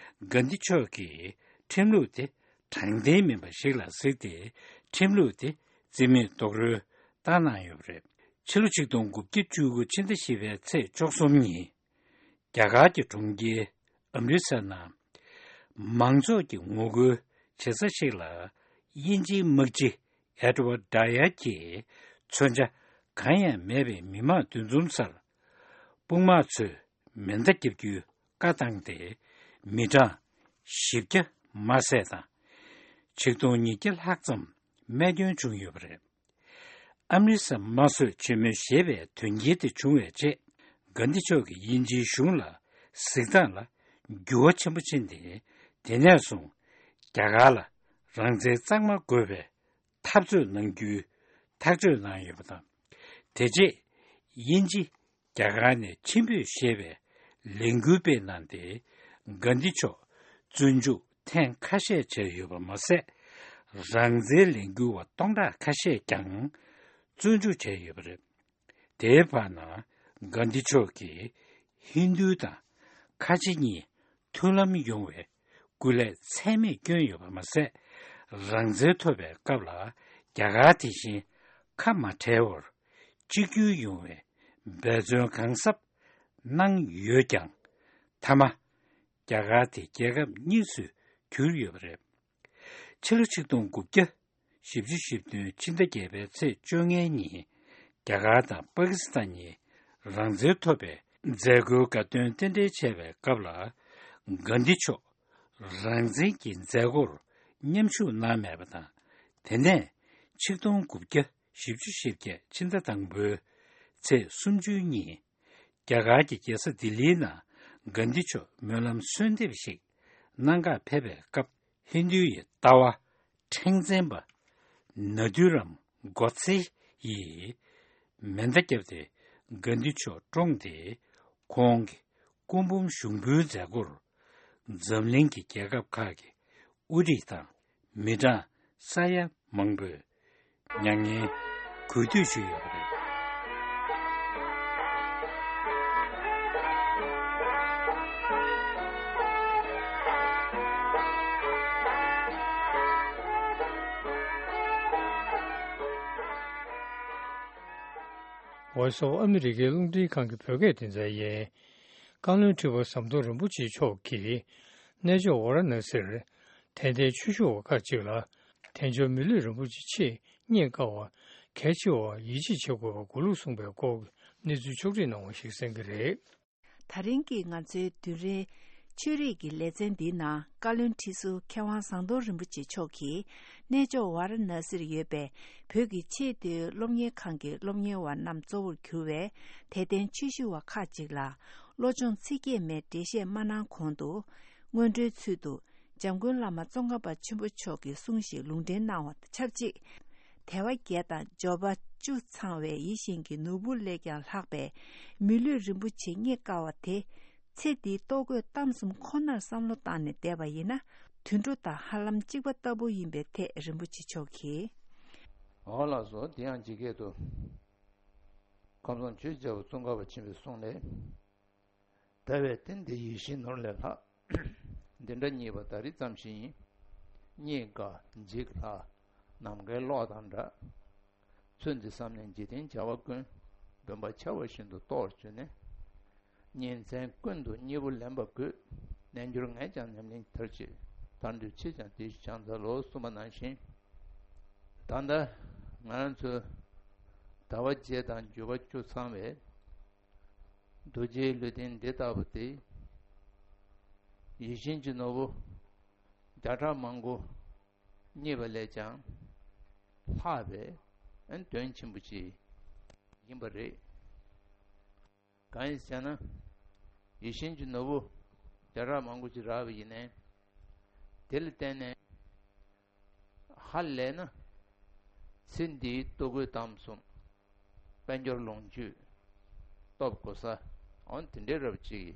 གྷན་དྷི་མཆོག་གིས་ཁྲིམས་ལུགས་དེ་དྲང་བདེན་མིན་པ་ཞིག་ལ་གཟིགས་ཏེ། ཁྲིམས་ལུགས་དེ་རྩིས་མེད་རྡོག་རོལ་བཏང་གནང་ཡོད་པ་རེད། ཕྱི་ལོ་ཆིག་སྟོང་དགུ་བརྒྱ་བཅུ་དགུ་ཕྱི་ཟླ་བཞི་པའི་ཚེས་བཅུ་གསུམ་ཉིན། རྒྱ་གར་གྱི་གྲོང་ཁྱེར་ཨམ་རི་སར་ནང་མང་ཚོགས་ཀྱི་ངོ་རྒོལ་བྱེད་ས་ཞིག་ལ། དབྱིན་ཇིའི་དམག་སྤྱི་ཨེ་ཌི་ཝར་ཌ་ཡར་གྱིས་མཚོན་ཆ་གང་ཡང་མེད་པའི་མི་མང་འདུ་འཛོམས་སར། དཔུང་དམག་ཚོས་མེ་མདའ་བརྒྱབ་རྒྱུའི་བཀའ་བཏང་སྟེ། མི་གྲངས་བཞི་བརྒྱ་མ་ཟད་དང་། ཆིག་སྟོང་ཉིས་བརྒྱ་ལྷག་ཙམ་རྨས་སྐྱོན་བྱུང་ཡོད་པ་རེད། ཨམ་རི་སར་དམར་གསོད་བྱེད་མུས་ཞེས་པའི་དོན་རྐྱེན་དེ་བྱུང་བའི་རྗེས། གྷན་དྷི་མཆོག་གིས་དབྱིན་ཇིའི་གཞུང་ལ་གཟིགས་སྟངས་ལ་འགྱུར་བ་ཆེན་པོ་ཕྱིན་ཏེ། དེ་ནས་བཟུང་རྒྱ་གར་ལ་རང་བཙན་གཙང་མ་དགོས་པའི་འཐབ་རྩོད་གནང་རྒྱུའི་ཐག་གཅོད་གནང་ཡོད་པ་དང་། དེ་རྗེས་དབྱིན་ཇི་རྒྱ་གར་ནས་ཕྱིར་འབུད་ཞེས་པའི་ལས་འགུལ་སྤེལ་གནང་སྟེ། གྷན་དྷི་མཆོག་བཙོན་འཇུག་ཐེངས་ཁ་ཤས་བྱས་ཡོད་པ་མ་ཟད། རང་བཙན་ལས་འགུལ་བ་སྟོང་ཕྲག་ཁ་ཤས་ཀྱང་བཙོན་འཇུག་བྱས་ཡོད་པ་རེད། དེའི་བར་ན་གྷན་དྷི་མཆོག་གིས་ཧིན་རྡུ་དང་ཁ་ཆེ་གཉིས་མཐུན་ལམ་ཡོང་བའི་སྐུ་ལས་ཚད་མེད་བསྐྱོན་ཡོད་པ་མ་ཟད། རང་བཙན་ཐོབ་པའི་སྐབས་ལ་རྒྱ་གར་དེ་བཞིན་ཁ་མ་བྲལ་བར་གཅིག་གྱུར་ཡོང་བའི་འབད་བརྩོན་གང་ཟབ་གནང་ཡོད་ཀྱང་། མཐའ་མ་རྒྱ་གར་དེ་རྒྱལ་ཁབ་གཉིས་སུ་གྱུར་ཡོད་པ་རེད། ཕྱི་ལོ་ཆིག་སྟོང་དགུ་བརྒྱ་བཞི་བཅུ་ཞེ་བདུན་ཕྱི་ཟླ་བརྒྱད་པའི་ཚེས་བཅོ་ལྔའི་ཉིན། རྒྱ་གར་དང་པ་ཀི་སི་ཐན་གཉིས་རང་བཙན་ཐོབ་པའི་མཛད་སྒོའི་དགའ་སྟོན་རྟེན་འབྲེལ་བྱས་པའི་སྐབས་ལ། གྷན་དྷི་མཆོག་རང་བཙན་གྱི་མཛད་སྒོར་མཉམ་ཞུགས་གནང་མེད་པ་དང་། དེ་ནས་ཆིག་སྟོང་དགུ་བརྒྱ་ བཞི་བཅུ་ཞེ་བརྒྱད་ཕྱི་ཟླ་དང་པོའི་ཚེས་སུམ་ཅུ་ཉིན། རྒྱ་གར་གྱི་རྒྱལ་ས་ལྡི་ལིའི་ནང་གྷན་དྷི་མཆོག་སྨོན་ལམ་གསོལ་འདེབས་ཤིག་གནང་གར་ཕེབས་པའི་སྐབས། ཧིན་རྡུའི་ལྟ་བ་ཕྲེང་འཛིན་པ་ནཱ་དྷུ་རམ་གོ་ཚེ་ཡིས་མེ་མདའ་བརྒྱབ་སྟེ་གྷན་དྷི་མཆོག་བཀྲོངས་ཏེ། ཁོང་གི་སྐུ་འབུམ་ཞུགས་འབུལ་མཛད་སྒོར་འཛམ་གླིང་གི་རྒྱལ་ཁབ་ཁག་གི་དབུ་ཁྲིད་དང་མི་གྲངས་ས་ཡ་མང་པོས་མྱ་ངན་གུས་འདུད་ཞུས་ཡོད་པ་རེད། Voice of America་རླུང་འཕྲིན་ཁང་གི་བོད་སྐད་སྡེ་ཚན་ཡིན། བཀའ་བློན་ཁྲི་པ་ཟམ་གདོང་རིན་པོ་ཆེ་མཆོག་གིས་གནས་མཆོག་ཝཱ་ར་ཎ་སིར་དད་ལྡན་ཆོས་ཞུ་བ་ཁག་ཅིག་ལ་དལ་འབྱོར་མི་ལུས་རིན་པོ་ཆེ་ཆེད་རྙེད་དཀའ་བ་གལ་ཆེ་བར་ཡིད་ཆེས་བྱེད་དགོས་པ་གོ་ལུགས་གསུངས་པའི་སྐོར་གྱི་གནས་ཚུལ་ཕྱོགས་སྒྲིག་གནང་བ་ཞིག་གསན་གྱི་རེད། ད་རིང་གི་ང་ཚོའི་བདུན་རེའི་ཆོས་རིག་གི་ལེ་ཚན་འདིའི་ནང་བཀའ་བློན་ཁྲི་ཟུར་མཁས་དབང་ཟམ་གདོང་རིན་པོ་ཆེ་མཆོག་གིས་གནས་མཆོག་ཝཱ་ར་ཎ་སིར་ཡོད་པའི་བོད་ཀྱི་ཆེས་མཐོའི་སློབ་གཉེར་ཁང་གི་སློབ་གཉེར་བ་རྣམས་གཙོ་བོར་གྱུར་བའི་དད་ལྡན་ཆོས་ཞུ་བ་ཁག་ཅིག་ལ་བློ་སྦྱོང་ཚིག་བརྒྱད་མའི་འགྲེལ་བཤད་མ་གནང་གོང་དུ། སྔོན་འགྲོའི་ཚུལ་དུ་འཇམ་མགོན་བླ་མ་ཙོང་ཁ་པ་ཆེན་པོ་མཆོག་གི་གསུང་ཞིག་ལུང་འདྲེན་གནང་བ་དང་ཆབས་ཅིག་དལ་བ་བརྒྱད་དང་འབྱོར་པ་བཅུ་ཚང་བའི་ཡིད་བཞིན་གྱི་ནོར་བུ་ལས་ཀྱང་ལྷག་པའི་མི་ལུས་རིན་པོ་ཆེ་རྙེད་དཀའ་བ་དེ། ཚེ་འདིའི་ལྟོ་གོས་གཏམ་གསུམ་ཁོ་ནར་བསམ་བློ་བཏང་ནས་བསྡད་པ་ཡིན་ན། དུད་འགྲོ་དང་ཧ་ལམ་གཅིག་པ་ལྟ་བུ་ཡིན་པའི་ཐད་རིན་པོ་ཆེ་མཆོག་གིས། འོ་ལགས་སོ། དེ་ཡང་ཇི་སྐད་དུ། ཁམས་བཟང་ཆོས་རྒྱལ་པོ་ཙོང་ཁ་པ་ཆེན་པོའི་གསུང་ལས། དལ་བའི་རྟེན་འདི་ཡིད་བཞིན་ནོར་ལས་ལྷག་འདི་འདྲ་རྙེད་པ་ད་རེས་ཙམ་ཞིག་ཡིན། རྙེད་དཀའ་འཇིག་སླ། ནམ་མཁའི་གློག་དང་འདྲ། ཚུལ་འདི་བསམ་ནས་འཇིག་རྟེན་བྱ་བ་ཀུན། སྦོམ་པ་ཆར་པ་བཞིན་དུ་རྟོགས་བྱོས་ནས། ཉིན་མཚན་ཀུན་ཏུ་སྙིང་པོ་ལེན་པ་དགོས། རྣལ་འབྱོར་ངས་ཀྱང་ཉམས་ལེན་མཐར་ཕྱིན། མཐར་འདོད་ཕྱིས་ཀྱང་དེ་བཞིན་ཕྱག་འཚལ་ལོ། གསུངས་པ་ནང་བཞིན། ད་ལྟ་ང་རང་ཚོའི་དལ་བ་བརྒྱད་དང་འབྱོར་པ་བཅུ་ཚང་བའི་རྡོ་རྗེའི་ལུས་རྟེན་འདི་ལྟ་བུ་དེ། ཡིད་བཞིན་གྱི་ནོར་བུ་བརྒྱ་ཕྲག་མང་པོ་རྙེད་པ་ལས་ཀྱང་ལྷག་པའི་དོན་ཆེན་པོ་ཅིག་ཡིན་པ་རེད། གང་ཡིན་ཟེར་ན། ཡིད་བཞིན་གྱི་ནོར་བུ་བརྒྱ་ཕྲག་མང་པོ་ཅིག་རག་པ་ཡིན་ནའི། དེ་ལ་བརྟེན་ནས་ཧ་ལས་ན། ཚེ་འདིའི་ལྟོ་གོས་གཏམ་གསུམ། དཔལ་འབྱོར་ལོངས་སྤྱོད། སྟོབས་གོ་ས། འོ་དེ་འདྲའི་རབ་ཅིག་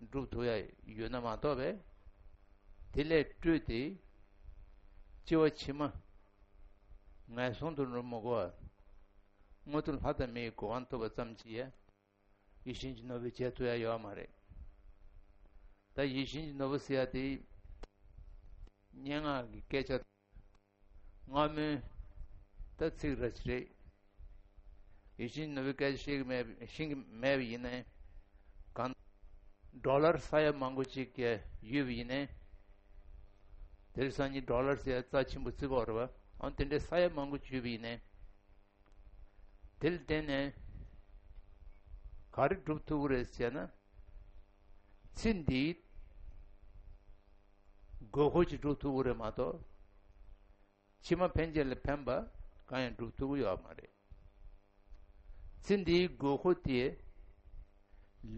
སྒྲུབ་ཐུབ་ཡ་ཡོད་ན་མ་གཏོགས་པས། དེ་ལས་སྤྲོས་ཏེ་སྐྱེ་བ་ཕྱི་མ་ངན་སོང་དུ་འགྲོ་མི་དགོས་པ། མངོན་མཐོ་ལྷ་དང་མིའི་གོ་འཕང་ཐོབ་པ་ཙམ་གྱིས་ཡ། ཡིད་བཞིན་གྱི་ནོར་བུ་བྱེད་ཐུབ་ཡ་ཡོད་མ་རེད། ད་ཡིད་བཞིན་གྱི་ནོར་བུ་ཟེར་ཡ་དེ་སྙན་ངག་གི་སྐད་ཆ། སྔ་མོའི་ད་ཚིག་ར་ཅི་རེད། ཡིད་བཞིན་གྱི་ནོར་བུའི་སྐད་ཆ་ཤེས་ཀྱི་མེད་ཤེས་ཀྱི་མེད་པ་ཡིན་ནའི། གང་ཌོ་ལར་ས་ཡ་མང་པོ་ཅིག་གི་ཡོད་པ་ཡིན་ནའི། དེ་རིང་སང་ཉིན་ཌོ་ལར་ཟེར་ཡ་རྩ་ཆེན་པོ་བརྩི་གི་ཡོད་རེད་པ། ཨང་དེ་འདྲའི་ས་ཡ་མང་པོ་ཅིག་ཡོད་པ་ཡིན་ནའི། དེ་ལ་བརྟེན་ནས་ག་རེ་སྒྲུབ་ཐུབ་ཀྱི་རེད་ཟེར་ན། ཚེ་འདིའི་དགོས་མཁོ་ཅིག་སྒྲུབ་ཐུབ་ཀྱི་རེད་མ་གཏོགས། ཕྱི་མ་ཕན་ཆད་ལ་ཕན་པ་གང་ཡང་སྒྲུབ་ཐུབ་ཀྱི་ཡོད་མ་རེད། ཚེ་འདིའི་དགོས་མཁོ་དེ་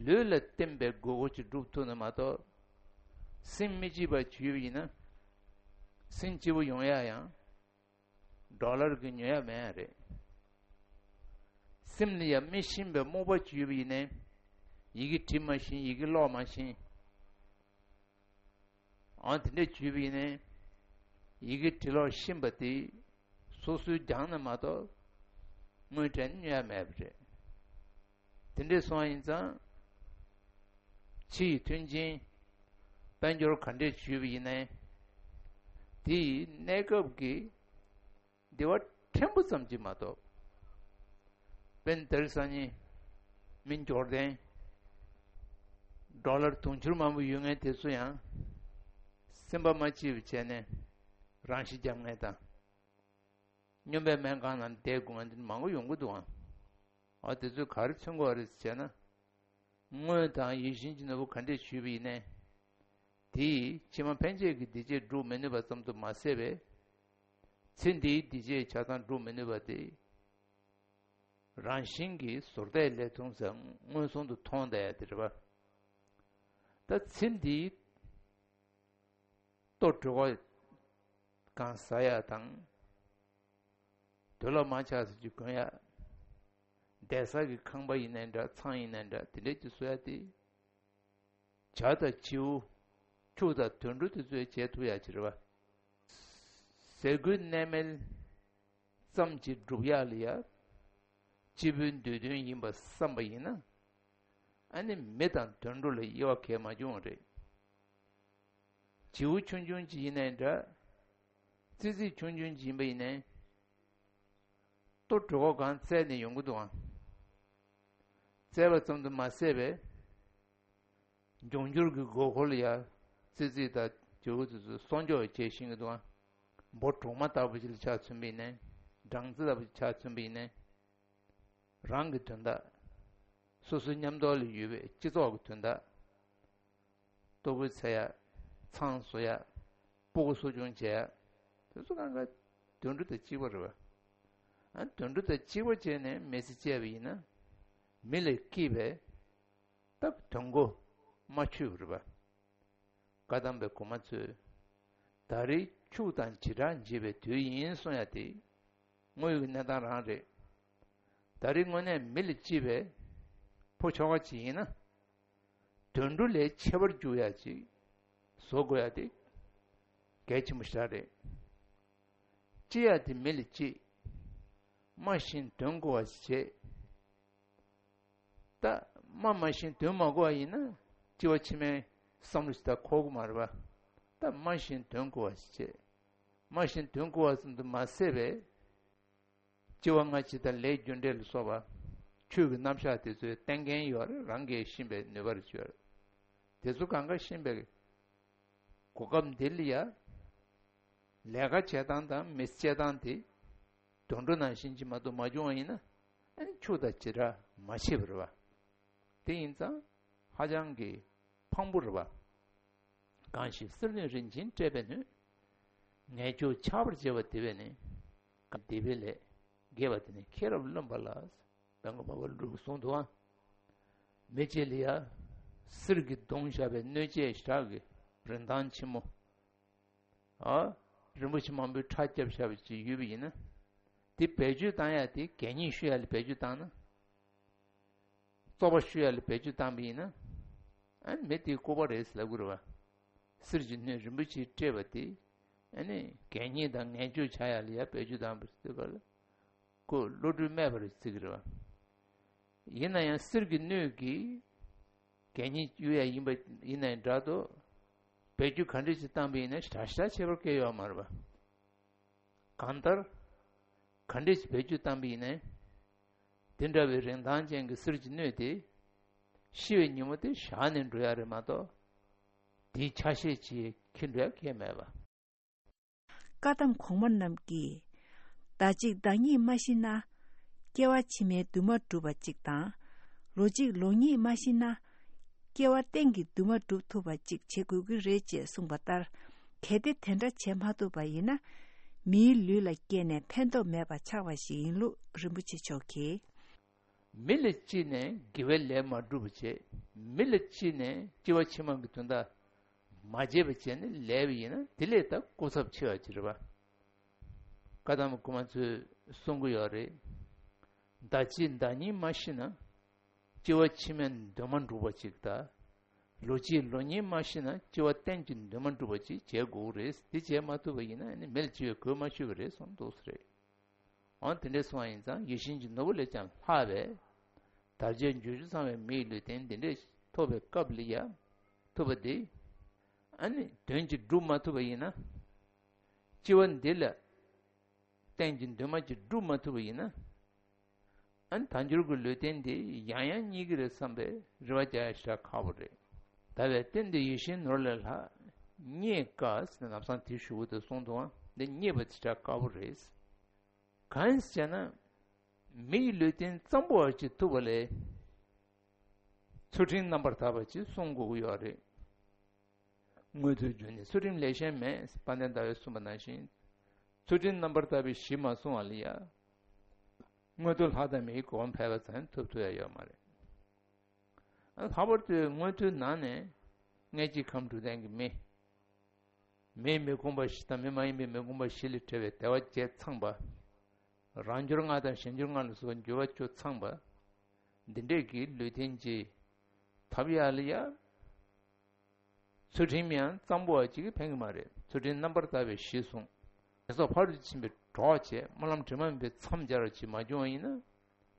ལུས་ལ་བརྟེན་པའི་དགོས་མཁོ་ཅིག་སྒྲུབ་ཐུབ་ན་མ་གཏོགས། སེམས་མི་སྐྱིད་པ་ཅིག་ཡོད་པ་ཡིན་ན། སེམས་སྐྱིད་པོ་ཡོང་ཡ་ཡང་། ཌོ་ལར་གྱིས་ཉོ་ཡ་མེད་རེད། སེམས་ལ་ཡང་མི་ཤེས་པའི་རྨོངས་པ་ཅིག་ཡོད་པ་ཡིན་ནའི། ཡི་གེ་འབྲི་མ་ཤེས། ཡི་གེ་ཀློག་མ་ཤེས། ཨང་དེ་འདྲས་ཅིག་ཡོད་པ་ཡིན་ནའི། ཡི་གེ་འབྲི་ཀློག་ཤེས་པ་དེ་སོ་སོའི་སྦྱངས་ན་མ་གཏོགས། དངུལ་སྤྲད་ནས་ཉོ་ཡ་མེད་པ་རེད། དེ་འདྲས་སོང་བ་ཡིན་ཙང་། ཕྱི་ཡི་མཐུན་རྐྱེན། དཔལ་འབྱོར་ག་འདྲས་ཅིག་ཡོད་པ་ཡིན་ནའི། དེ་ཡི་གནས་སྐབས་ཀྱི་བདེ་བ་ཕྲན་བུ་ཙམ་ཅིག་མ་གཏོགས། དཔེར་ན་དེ་རིང་སང་ཉིན་མི་འབྱོར་ལྡན། ཌོ་ལར་དུང་ཕྱུར་མང་པོ་ཡོད་མཁན་དེ་ཚོ་ཡང་སེམས་པ་མ་སྐྱིད་པ་བྱས་ནས་རང་ཤི་རྒྱག་མཁན་དང་། སྨྱོན་པའི་སྨན་ཁང་ནང་བསྡད་དགོས་མཁན་དེ་མང་པོ་ཡོང་གི་འདུག་ཨང་། ཨ་དེ་ཚོས་ག་རེ་མཚོན་གྱི་ཡོད་རེད་ཟེར་ན། དངུལ་དང་ཡིད་བཞིན་གྱི་ནོར་བུ་ག་འདྲས་ཅིག་ཡོད་པ་ཡིན་ནའི། དེས་ཕྱི་མ་ཕན་ཆད་ཀྱི་བདེ་སྐྱིད་སྒྲུབ་མི་ནུས་པ་ཙམ་དུ་མ་ཟད་པས། ཚེ་འདིའི་སྡིག་བྱས་ཆ་ཚང་སྒྲུབ་མི་ནུས་པ་དེ། རང་བཞིན་གྱིས་ཟུར་བལྟས་ལས་མཐོང་ཟེར་མངོན་སུམ་དུ་མཐོང་བསྡད་ཡ་དེ་རེད་པ། ད་ཚེ་འདིའི་ལྟོ་གྲོད་ཁོག་གང་ཟ་ཡ་དང་། དུག་ལོག་མ་ཆགས་ཟེར་གྱི་གོན་ཡ། བསྡད་ས་གི་ཁང་པ་ཡིན་ནའི་འདྲ། ཚང་ཡིན་ནའི་འདྲ། དེ་འདྲས་ཀྱི་བཟོ་ཡ་དེ། བྱ་དང་བྱིའུ། ཕྱུགས་དང་དུད་འགྲོ་དེ་ཚོས་བྱེད་ཐུབ་ཡ་ཅིག་རེད་པ། ཟས་གོས་གནས་མལ་ཙམ་གྱིས་འགྲུབ་ཡ་ལ་ཡ། སྤྱི་བོའི་འདོད་དོན་ཡིན་པ་བསམ་པ་ཡིན་ན། ཨ་ནི་མི་དང་དུད་འགྲོ་ལ་དབྱེ་བ་གང་ཡང་མ་བྱུང་བ་རེད། བྱིའུ་ཆུང་ཆུང་ཅིག་ཡིན་ནའི་འདྲ། ཙི་ཙི་ཆུང་ཆུང་ཅིག་ཡིན་པ་ཡིན་ནའི། ལྟོ་གྲོད་ཁོག་གང་བཙལ་ནས་ཡོང་གི་འདུག་ཨང་། བཙལ་བ་ཙམ་དུ་མ་ཟད་པའི། འབྱུང་འགྱུར་གྱི་དགོས་མཁོ་ལ་ཡ། ཙི་ཙི་དང་བྱིའུ་དེ་ཚོ་སྲུང་སྐྱོབ་བྱེད་ཤེས་ཀྱི་འདུག་ཨང་། འབུ་གྲོག་མ་ལྟ་བུ་ཅིག་ལ་ཆ་མཚོན་པ་ཡིན་ནའི། སྦྲང་རྩི་ལྟ་བུ་ཅིག་ཆ་མཚོན་པ་ཡིན་ནའི། རང་གི་དོན་དག་སོ་སོའི་མཉམ་དུ་ལ་ཡོད་པའི་སྤྱི་ཚོགས་ཀྱི་དོན་དག་ལྟོ་གོས་འཚོལ་ཡ། ཚང་བཟོ་ཡ། སྤུ་གུ་གསོ་སྐྱོང་བྱེད་ཡ། དེ་ཚོ་གང་ག་དུད་འགྲོ་དང་གཅིག་པ་རེད་པ། ཨ། དུད་འགྲོ་དང་གཅིག་པ་བྱས་ནས་མི་ཚེ་སྐྱེལ་བ་ཡིན་ན། མི་ལས་སྐྱེས་པའི་སྟབས་དོན་གོ་མ་ཆོད་པ་རེད་པ། བཀའ་གདམས་པའི་གོང་མ་ཚོས། ད་རེས་ཕྱུགས་དང་བྱེ་བྲག་འབྱེད་པའི་དུས་ཡིན་གསུང་ཡ་དེ། དངོས་ཡོད་ཀྱི་གནས་སྟངས་རང་རེད། ད་རེས་དངོས་གནས་མི་ལ་སྐྱེས་པའི་ཕོ་ཁྱོ་ག་ཅིག་ཡིན་ན། དུད་འགྲོ་ལས་ཆེ་བར་འགྱུར་ཡ་ཅིག་བཟོ་དགོས་ཡ་དེ་གལ་ཆེན་པོ་ཞེ་དྲག་རེད། སྐྱེ་ཡ་དེ་མི་ལ་སྐྱེས། སྨྲ་ཤེས་དོན་གོ་བ་ཞིག་བྱེད། ད་སྨྲ་མ་ཤེས་དོན་མ་གོ་བ་ཡིན་ན། སྐྱེ་བ་ཕྱི་མའི་བསམ་བློ་ཞིག་ད་འཁོར་གི་མ་རེད་པ། ད་སྨྲ་ཤེས་དོན་གོ་བ་ཞིག་བྱེད། སྨྲ་ཤེས་དོན་གོ་བ་ཙམ་དུ་མ་ཟད་པའི། སྐྱེ་བ་སྔ་ཕྱི་དང་ལས་རྒྱུ་འབྲས་ལ་སོགས་པ། ཆོས་ཀྱི་རྣམ་གཞག་དེ་ཚོའི་བསྟན་མཁན་ཡོད་རེད། རང་གིས་ཤེས་པའི་ནུས་པ་རེ་ཡོད་རེད། དེ་ཚོ་གང་ག་ཤེས་པའི་གོ་སྐབས་འདི་ལ་ཡ། ལས་ཀ་བྱེད་སྟངས་དང་མི་ཚེ་སྐྱེལ་སྟངས་དེ། དུད་འགྲོ་ནང་བཞིན་གྱི་མ་གཏོགས་མ་བྱུང་བ་ཡིན་ན། ཨ་ནི་ཕྱུགས་དང་བྱེ་བྲག་མ་ཕྱེད་པ་རེད་པ། དེ་ཡིན་ཙང་ཧ་ཅང་གི་ཕངས་པོ་རེད་པ། གང་ཞིག་གསེར་སྣོད་རིན་ཆེན་སྤྲས་པའི་སྣོད། ངན་སྐྱུགས་ཆགས་པར་བྱེད་པ་དེ་བས་ནི། སྡིག་པའི་ལས་དགེ་བ་དེ་ནི་ཁྱེད་རབ་བླུན་པ་ལ། བན་དགོན་པ་བ་ལུག་གསུངས་འདུག་ཨ། མི་གཅིག་ལ་ཡ། གསེར་གྱིས་བརྡུངས་བཞག་པའི་སྣོད་ཆས་ཞེ་དྲག་གི་རིན་ཐང་ཆེན་མོ། ཨ། རིན་པོ་ཆེ་མང་པོའི་ཁྲ་བརྒྱབ་བཞག་པ་ཅིག་ཡོད་པ་ཡིན་ན། དེ་བེད་སྤྱོད་བཏང་ཡ་དེ་གད་སྙིགས་གཞུ་ཡ་ལ་བེད་སྤྱོད་བཏང་ན། བཙོག་པ་གཞུ་ཡ་ལ་བེད་སྤྱོད་བཏང་པ་ཡིན་ན། ཨ་ནི་མི་དེའི་ལྐུགས་པ་རེད་ཟེར་ལབ་ཀྱི་རེད་པ། གསེར་གྱི་སྣོད་རིན་པོ་ཆེས་སྤྲས་པ་དེ། ཨ་ནི་གད་སྙིགས་དང་ངན་སྐྱུགས་ཆགས་ཡ་ལ་ཡ་བེད་སྤྱོད་བཏང་པ་ཟེར་བ་ལ། ཁོ་བློ་གྲོས་མེད་པ་རེད་ཟེར་གྱི་རེད་པ། ཡིན་ན་ཡང་གསེར་གྱི་སྣོད་ཀྱིས་གད་སྙིགས་གཡུག་ཡ་ཡིན་པ་ཡིན་ནའི་འདྲ་འདུག་བེད་སྤྱོད་ག་འདྲ་ཞིག་བཏང་པ་ཡིན་ན་ཞེ་དྲག་ཁྱད་པར་གང་ཡང་ཡོད་མ་རེད་པ། གང་ལྟར། ག་འདྲ་ཞིག་བེད་སྤྱོད་བཏང་པ་ཡིན་ནའི། དེ་འདྲ་བའི་རིན་ཐང་ཅན་གྱི་གསེར་གྱི་སྣོད་དེ། ཤི་བའི་ཉིན་མོ་དེ་བཞག་ནས་འགྲོ་ཡ་རེད་མ་གཏོགས། དེའི་ཆ་ཤས་ཅིག་འཁྱེར་འགྲོ་ཡ་གང་ཡང་མེད་པ། བཀའ་གདམས་གོང་མ་རྣམས་ཀྱིས། ཟླ་གཅིག་ཟླ་གཉིས་མ་ཤི་ན། སྐྱེ་བ་ཕྱི་མའི་འདུན་མ་འགྲུབ་པ་གཅིག་དང་། ལོ་གཅིག་ལོ་གཉིས་མ་ཤི་ན། སྐྱེ་བ་གཏན་གྱི་འདུན་མ་འགྲུབ་ཐུབ་པ་གཅིག་བྱེད་དགོས་ཀྱི་རེད་ཅེས་གསུངས་པ་ལྟར། གལ་ཏེ་དེ་འདྲ་བྱེད་མ་ཐུབ་པ་ཡིན་ན། མིའི་ལུས་ལ་སྐྱེས་ནས་ཕན་ཐོགས་མེད་པ་ཆགས་པ་ཞིག་ཡིན་ལུགས་རིན་པོ་ཆེ་མཆོག་གིས། མི་ལ་སྐྱེས་ནས་དགེ་བའི་ལས་མ་བསྒྲུབས་པ་བྱས། མི་ལ་སྐྱེས་ནས་སྐྱེ་བ་ཕྱི་མ་གི་དོན་དག་མ་བྱས་པ་བྱས་ནས་ལས་པ་ཡིན་ན། དེ་ལས་ད་སྐུ་ཚབས་ཆེ་བ་ཅིག་རེད་པ། བཀའ་གདམས་གོང་མ་ཚོས་གསུང་གི་ཡོད་རེད། ཟླ་གཅིག་ཟླ་གཉིས་མ་ཤི་ན། སྐྱེ་བ་ཕྱི་མའི་འདུན་མ་འགྲུབ་པ་ཅིག་དང་། ལོ་གཅིག་ལོ་གཉིས་མ་ཤི་ན། སྐྱེ་བ་གཏན་གྱི་འདུན་མ་འགྲུབ་པ་ཅིག་བྱེད་དགོས་རེད། དེ་བྱེད་མ་ཐུབ་པ་ཡིན་ན་ནི་མི་ལ་སྐྱེ་བའི་གོ་མ་ཆོད་པ་རེད་གསུངས་འདུག་ཟེར། འོ་དེ་འདྲ་སོང་བ་ཡིན་ཙང་། ཡིད་བཞིན་གྱི་ནོར་བུ་ལས་ཀྱང་ལྷག་པའི་དལ་བརྒྱད་འབྱོར་བཅུ་ཚང་བའི་མིའི་ལུས་རྟེན་འདི་འདྲ་ཐོབ་པའི་སྐབས་ལ་ཡ། ཐུབ་པ་འདི། ཨ་ནི་དོན་གྱིས་སྒྲུབ་མ་ཐུབ་པ་ཡིན་ན། སྐྱེ་བ་འདི་ལ་གཏན་གྱི་འདུན་མ་ཅིག་སྒྲུབ་མ་ཐུབ་པ་ཡིན་ན། ཨ་ནི་དལ་འབྱོར་གྱི་ལུས་རྟེན་འདི་ཡང་ཡང་རྙེད་ཀྱི་རེད་བསམ་པའི་རེ་བ་རྒྱག་ཡ་ཞེ་དྲག་ཁག་པོ་རེད། ད་བས་བརྟེན་ཏེ་ཡིད་བཞིན་ནོར་ལས་ལྷག་རྙེད་དཀའ་ཟེར་ནས་ལམ་སང་དེའི་གཞུག་གུ་དེ་གསུངས་འདུག་ཨ། འདི་རྙེད་པ་དེ་ཞེ་དྲག་དཀའ་པོ་རེད། གང་ཡིན་ཟེར་ན། མི་ཡི་ལུས་རྟེན་གཙང་པོ་བ་ཅིག་ཐུབ་པ་ལས། ཚུལ་ཁྲིམས་རྣམ་པར་དག་པ་ཅིག་བསྲུང་དགོས་ཀྱི་ཡོད་རེད། དངོས་དུ་རྒྱུ་ནི་ཚུལ་ཁྲིམས་ལས་གཞན་མེད། དཔལ་ལྡན་ཟླ་བས་གསུངས་པ་ནང་བཞིན། ཚུལ་ཁྲིམས་རྣམ་པར་དག་པའི་གཞི་མ་བསྲུངས་པ་ལ་ཡ། མངོན་མཐོ་ལྷ་དང་མིའི་གོ་འཕང་ཕལ་པ་ཙམ་ཐོབ་ཐུབ་ཡ་ཡོད་མ་རེད། ཨ་ལྷག་པར་དུ་མངོན་མཐོའི་ནང་ནས་མངལ་གྱི་ཁམས་དྲུག་ལྡན་གྱི་མི། མིའི་མི་ཁོམ་པ་བཞི་དང་མི་མ་ཡིན་པའི་མི་ཁོམ་པ་བཞི་ལས་བྲལ་བའི་བདེ་བ་བརྒྱད་ཚང་པ། རང་འབྱོར་ལྔ་དང་གཞན་འབྱོར་ལྔ་ལ་སོགས་པ་འབྱོར་བ་བཅུ་ཚང་པ། འདི་འདྲས་ཀྱི་ལུས་རྟེན་གྱི་ཐོབ་ཡ་ལ་ཡ། ཚུལ་ཁྲིམས་ཡང་གཙང་པོ་བ་གཅིག་གིས་ཕན་གྱི་མ་རེད། ཚུལ་ཁྲིམས་རྣམ་པར་དག་པའི་གཞི་བཟུང་། ངན་སོང་ཕ་རོལ་ཏུ་ཕྱིན་པའི་གྲོགས་བྱས། སྨོན་ལམ་དྲི་མ་མེད་པའི་མཚམས་སྦྱར་བ་ཅིག་མ་བྱུང་བ་ཡིན་ན།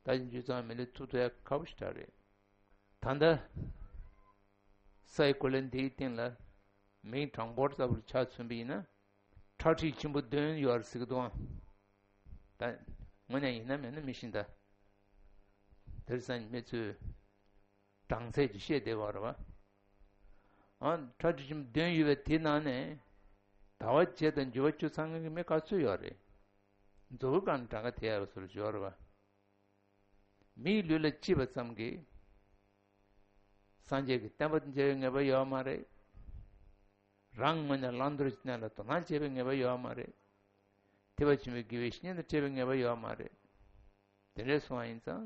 ད་ཅི་འཇུ་ཚང་མི་ལུས་ཐུབ་ཐུབ་ཡ་ཁག་པོ་ཞིག་རེད། ད་ལྟ་སའི་གོ་ལ་འདིའི་སྟེང་ལ་མིའི་གྲངས་འབོར་ལྟ་བུར་ཆ་མཚོན་པ་ཡིན་ན། ཁྲག་ཁྲིག་ཆེན་པོ་བདུན་ཡོད་རེད་ཟེར་གི་འདུག་ཨང་། ད་དངོས་གནས་ཡིན་ན་མིན་ན་མི་ཤེས་ད། དེར་སང་མི་ཚོས་གྲངས་ཚད་ཀྱིས་བཤད་བསྡད་པ་རེད་བ། ཨ་ཁྲག་ཁྲིག་ཆེན་པོ་བདུན་ཡོད་པའི་དེའི་ནང་ནས་ཟླ་བ་བརྒྱད་དང་འབྱོར་བ་བཅུ་ཚང་མཁན་གྱི་མི་ག་ཚོད་ཡོད་རེད། མཛོ་བོའི་སྒང་ནས་གྲངས་ཀ་དེད་ཡག་བཟོ་འདྲ་ཅིག་ཡོད་རེད་བ། མིའི་ལུས་ལ་སྐྱེས་པ་ཙམ་གྱིས་སངས་རྒྱས་ཀྱི་བསྟན་པ་དང་མཇལ་བའི་ངེས་པ་ཡོད་མ་རེད། རང་ངོས་ནས་བླང་དོར་གྱི་གནས་ལ་དོ་སྣང་བྱེད་པའི་ངེས་པ་ཡོད་མ་རེད། ཐེག་པ་ཆེན་པོའི་དགེ་བའི་བཤེས་གཉེན་དང་འཕྲད་པའི་ངེས་པ་ཡོད་མ་རེད། དེ་འདྲས་སོང་བ་ཡིན་ཙང་།